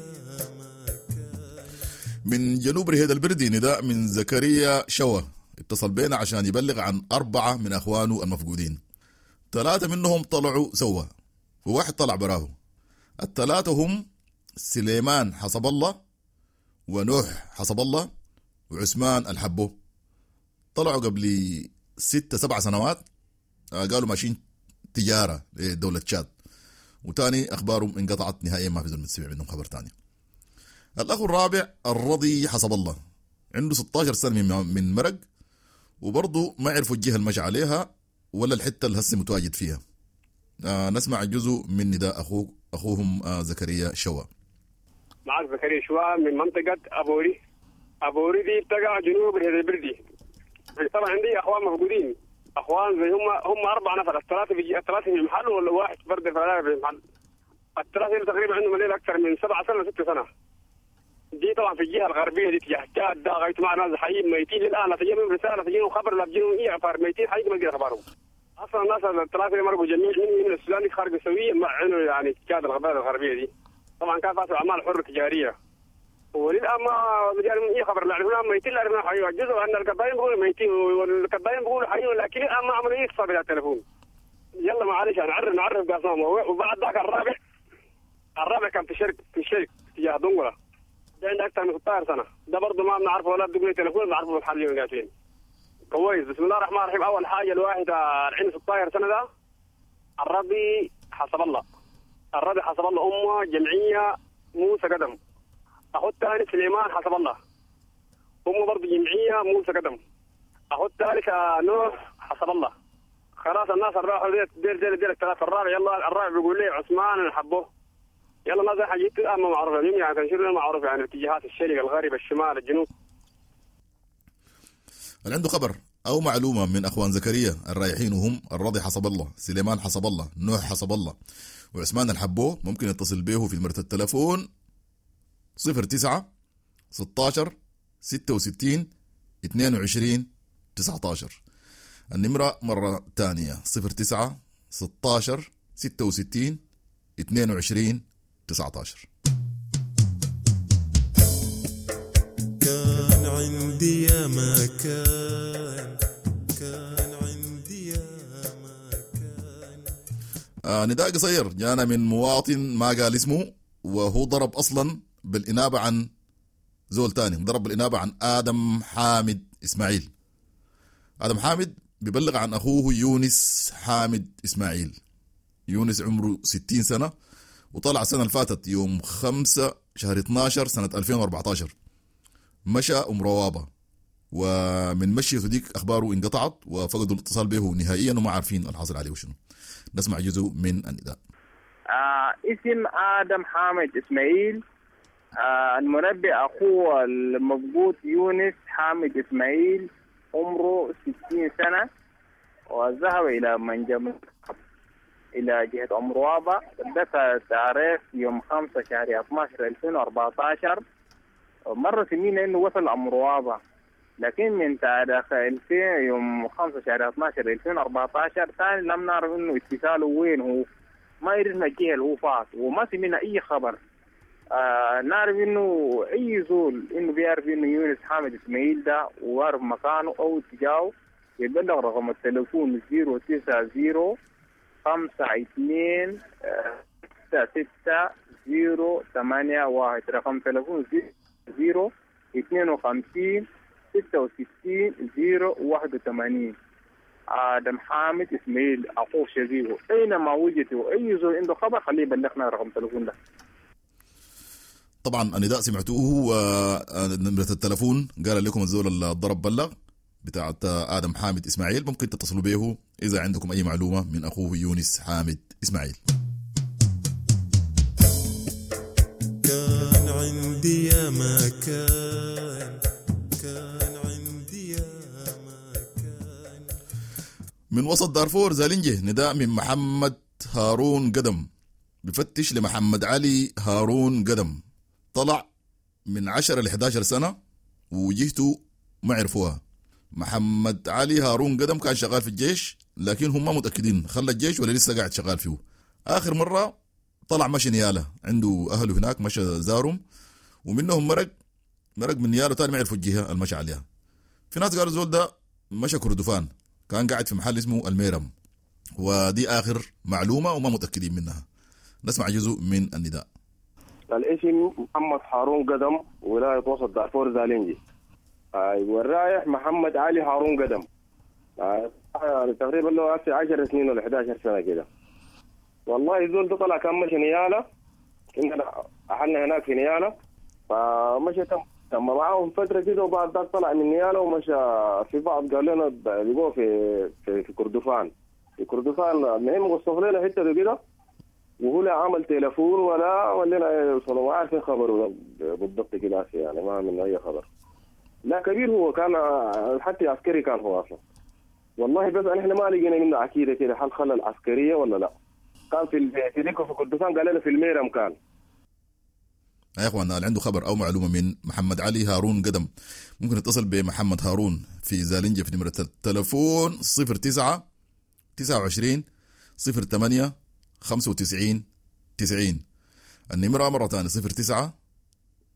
مكان. من جنوب رهيد البردي نداء من زكريا شوا، اتصل بينا عشان يبلغ عن 4 من أخوانه المفقودين. 3 منهم طلعوا سوا وواحد طلع براه. الثلاثة هم سليمان حسب الله ونوح حسب الله وعثمان الحبو. طلعوا قبل 6-7 سنوات، قالوا ماشيين تجارة لدولة تشاد، وتاني أخبارهم انقطعت نهائيا، ما في زول سمع منهم خبر تاني. الأخ الرابع الرضي حسب الله، عنده 16 سنة من مرق، وبرضه ما عرفوا الجهة المشي عليها ولا الحتة اللي هسه متواجد فيها. نسمع جزء من نداء أخوهم زكريا شوا. معك زكريا شوا من منطقة أبوري. أبوري دي بتقع جنوب البردي. طبعا عندي أخوان مفقودين، أخوان زي هم 4 نفر، الثلاثة في المحل ولا واحد فرد في المحل. الثلاثة تقريبا عندهم الليل أكثر من 7 سنة 6 سنة. دي طبعا في الجهة الغربية دي تجاه تشاد، ده غاية مع ناس حيين ميتين للآن، لا تجيهم رسالة لا تجيهم خبر لا تجيهم أي أخبار، ميتين حقيقة ما تجي أخبارهم. اصلا الناس الثلاثة اللي مرقوا جميع من السودان خارج السوية مع انه يعني تشاد الغربية دي. طبعا كان فاتوا اعمال حره تجارية، وللان ما جالهم اي خبر، لا عرفنا ميتين لا عرفنا حيين. جزء ان الكباين بيقولوا ميتين والكباين بيقولوا حيين، لكن الان ما عملوا اي اتصال بالتليفون. يلا معلش نعرف باسمهم. وبعد ذاك الرابع كان في الشرق تجاه دنقله، ده عنده اكثر من 16 سنة، ده برضه ما بنعرفه ولا بدقوا تليفون، بنعرفه بالحل وين قاعدين. كويس. بسم الله الرحمن الرحيم. اول حاجة الواحد عنده 16 سنة ده الربي حسب الله، الربي حسب الله امه جمعية موسى قدم. اخو الثاني سليمان حسب الله، امه برضه جمعية موسى قدم. اخو الثالث نوح حسب الله. خلاص الناس الراحوا دير دير دير الثلاثة. الرابع يلا الرابع بيقول لي عثمان الحبوه. يلا الناس حاجات الان ما معروفة يعني تنشر معروف يعني اتجاهات الشرق الغرب الشمال الجنوب. اللي عنده خبر أو معلومة من أخوان زكريا الرايحين وهم الرضي حسب الله، سليمان حسب الله، نوح حسب الله، وعثمان الحبوه، ممكن يتصل به في نمرة التلفون 09 16 66 22 19. النمرة مرة تانية 09 16 66 22 19. كان عندي يا مكان، كان عندي يا مكان. نداء قصير جانا من مواطن ما قال اسمه، وهو ضرب أصلا بالإنابة عن زول تاني، ضرب بالإنابة عن آدم حامد إسماعيل. آدم حامد بيبلغ عن أخوه يونس حامد إسماعيل. يونس عمره 60 سنة، وطلع السنة اللي فاتت يوم 5 شهر 12 سنة 2014، مشى أم روابة، ومن مشيته ديك أخباره انقطعت وفقدوا الاتصال به نهائيا وما عارفين الحاصل عليه وشنو. نسمع جزء من النداء. اسم آدم حامد إسماعيل، المربي أخوه المفقود يونس حامد إسماعيل، عمره 60 سنة، وذهب إلى منجم إلى جهة أمروابة. دفع تاريخ يوم 5 شهر 12 2014. مرة سمينا إنه وصل أمروابة، لكن من تاريخ 2000 يوم 5 شهر 12 2014 ثاني لم نعرف إنه اتصاله وين، هو ما عرفنا الجهة اللي هو فات وما سمعنا أي خبر. نعرف إنه أي زول إنه بيعرف إنه يونس حامد إسماعيل ده وعرف مكانه أو اتجاهه يبلغ رقم التليفون 090 52 66 081. رقم تليفون 0 52 66 081. آدم حامد إسماعيل أخوه شبيهه أينما وجدوا أي زول عنده خبر خليه يبلغنا رقم التليفون ده. طبعا النداء سمعتوه، ونمرة التلفون قال لكم الزول اللي ضرب بلغ بتاعت آدم حامد إسماعيل، ممكن تتصلوا به إذا عندكم أي معلومة من أخوه يونس حامد إسماعيل. كان عندي يا ما كان، كان عندي يا ما كان. من وسط دارفور زالنجي نداء من محمد هارون قدم، بفتش لمحمد علي هارون قدم، طلع من 10 ل 11 سنة وجهته ما عرفوها. محمد علي هارون قدم كان شغال في الجيش، لكن هم ما متأكدين خلى الجيش ولا لسه قاعد شغال فيه. آخر مرة طلع مشي نيالة، عنده أهله هناك مشى زارهم، ومنهم مرق من نيالة تاني ما عرفوا الجهة اللي مشى عليها. في ناس قالوا زول ده مشى كردفان، كان قاعد في محل اسمه الميرم، ودي آخر معلومة وما متأكدين منها. نسمع جزء من النداء. الاسم محمد هارون قدم، ولاية وسط دارفور زالنجي. والرايح محمد علي هارون قدم، تقريبا له 10 سنين ولا 11 سنة كده. والله الزول ده طلع كان مشي نيالة، كنا أهلنا هناك في نيالة، فمشى تم معاهم فترة كده، وبعد ذاك طلع من نيالة ومشى في بعض قال لنا لقوه في كردفان. في كردفان المهم وصف لنا حتة كده، وهو لا عمل تليفون ولا ولنا يوصلوا، ما عارفين خبره بالضبط كده يعني، ما من أي خبر. لا كبير هو كان، حتى عسكري كان هو أصلا. والله بس احنا ما لقينا منه عكيدة كده، هل خلى العسكرية ولا لا. كان في في كردفان قال لنا في الميرم كان. يا اخوانا اللي عنده خبر او معلومة من محمد علي هارون قدم ممكن يتصل بمحمد هارون في زالنجة في نمرة التلفون 09 29 08 95 90. النمرة مرة ثانية 09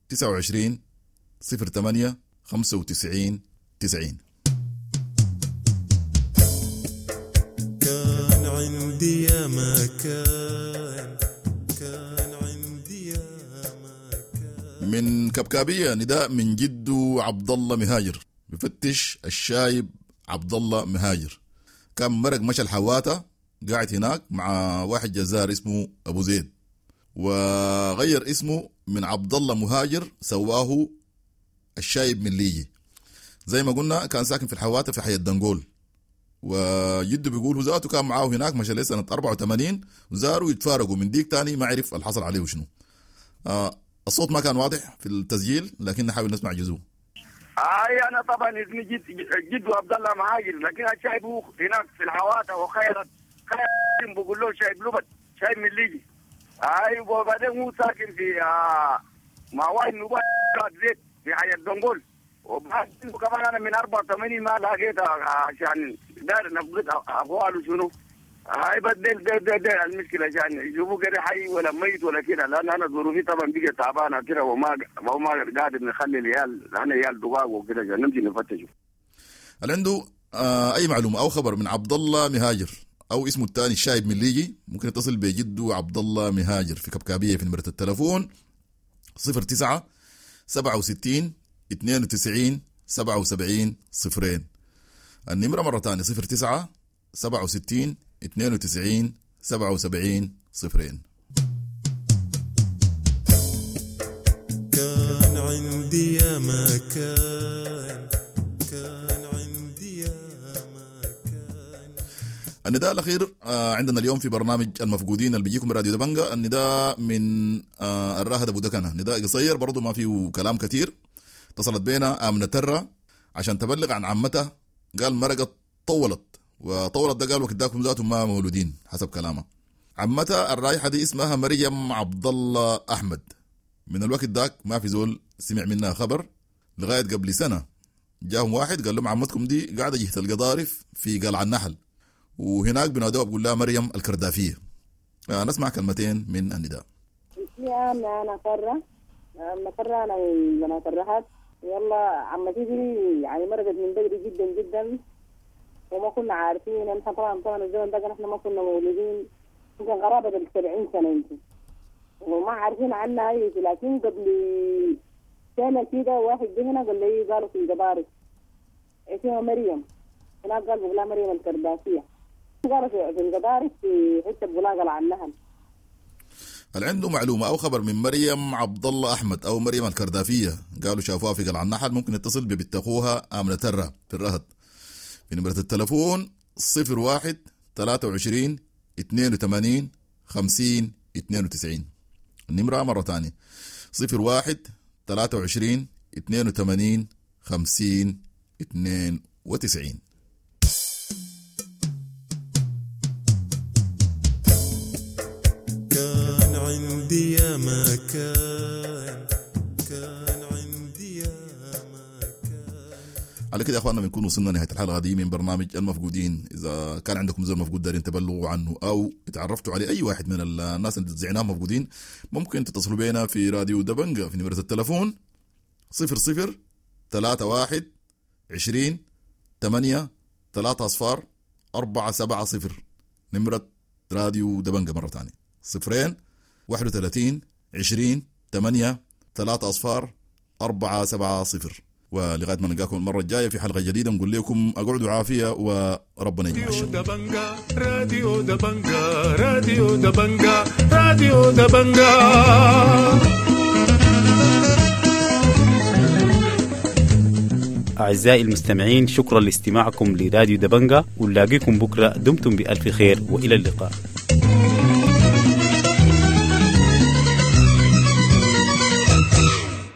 29 08 95 90. كان عندي يا ما كان، كان عندي يا ما كان. من كبكابية نداء من جدو عبد الله مهاجر، بفتش الشايب عبد الله مهاجر، كان مرق مشى الحواتة، قاعد هناك مع واحد جزار اسمه أبو زيد، وغير اسمه من عبد الله مهاجر سواه الشايب من ليجي. زي ما قلنا كان ساكن في الحواتة في حي الدنقول، وجده بيقول ذاته كان معاه هناك مشى ليه سنة 84 وزاروا يتفارقوا من ديك تاني ما عرف الحصل عليه شنو. الصوت ما كان واضح في التسجيل لكن نحاول نسمع جزء. انا طبعا اسمي جد عبد الله مهاجر، لكن الشايب هو هناك في الحواتة وخيرت خير بقول له شايب لبد شايب من ليجي. وبعدين هو ساكن في مع واحد نوبات زيت في حي الدنقول. وبعد كمان انا من 84 ما لقيتها عشان دار نفقد اقواله شنو. هاي بس ده المشكلة عشان يشوفوا كده حي ولا ميت ولا كده، لان انا ظروفي طبعا بقت تعبانة كده وما قادر نخلي العيال، انا عيال دقاق وكده عشان نمشي نفتشه. هل عنده اي معلومة او خبر من عبد الله مهاجر او اسمه الثاني الشايب من ليجي ممكن يتصل بجده عبد الله مهاجر في كبكابيه في نمره التلفون 09 67 92 77 0. النمرة مرة ثانية 09 67 92 77 0. كان عندي يا ما كان، كان عندي يا ما كان. النداء الأخير عندنا اليوم في برنامج المفقودين اللي بيجيكم راديو دبنجا، النداء من الراهد أبو دكنة، نداء قصير برضو ما فيه كلام كثير. اتصلت بينا آمنة ترة عشان تبلغ عن عمتها، قال مرقت طولت، وطولت ده قال وقت داكم ذاتهم ما مولودين حسب كلامها. عمتها الرايحة دي اسمها مريم عبد الله أحمد. من الوقت داك ما في زول سمع منها خبر لغاية قبل سنة جاهم واحد قال لهم عمتكم دي قاعدة جهة القضارف في قلعة النحل، وهناك بنادوها بقول لها مريم الكردافية. نسمع كلمتين من النداء. اسمي آمنة، أنا فرة، آمنة فرة، أنا من بنات الرهد. يلا عمتي دي يعني مرقت من بدري جدا جدا وما كنا عارفين. نحن طبعا الزمن ده نحن ما كنا مولودين، يمكن قرابة 70 سنة يمكن، وما عارفين عنها أي شيء. لكن قبل سنة كده واحد جه هنا قال لي قالوا في القضارف اسمها مريم، هناك قال بقولها مريم الكرداسية، قالوا في القضارف في حتة بقولها قلعة النهل. اللي عنده معلومة أو خبر من مريم عبد الله أحمد أو مريم الكردافية قالوا شافوها في قلعة النحل، ممكن يتصل ببنت أخوها آمنة ترة في الرهد في نمرة التلفون 01 23 82 50 92. النمرة مرة تانية 01 23 82 50 92. كان عندي يا ما كان، كان عندي يا ما كان. على كده يا اخواننا بنكون وصلنا نهاية الحلقة دي من برنامج المفقودين. اذا كان عندكم زول مفقود دارين تبلغوا عنه او تعرفتوا عليه اي واحد من الناس اللي زعناهم مفقودين، ممكن تتصلوا بينا في راديو دبنجا في نمره التلفون 00 31 20 8 3 0 4 7 0. نمره راديو دبنجا مرة ثانية 0 31 20 8 3 0 4 7 0. ولغاية ما نلقاكم المرة الجاية في حلقة جديدة نقول لكم اقعدوا عافية وربنا يجمع الشر. دبنجا راديو دبنجا راديو دبنجا راديو دبنجا. أعزائي المستمعين، شكرا لاستماعكم لراديو دبنجا، ونلاقيكم بكرة. دمتم بألف خير وإلى اللقاء.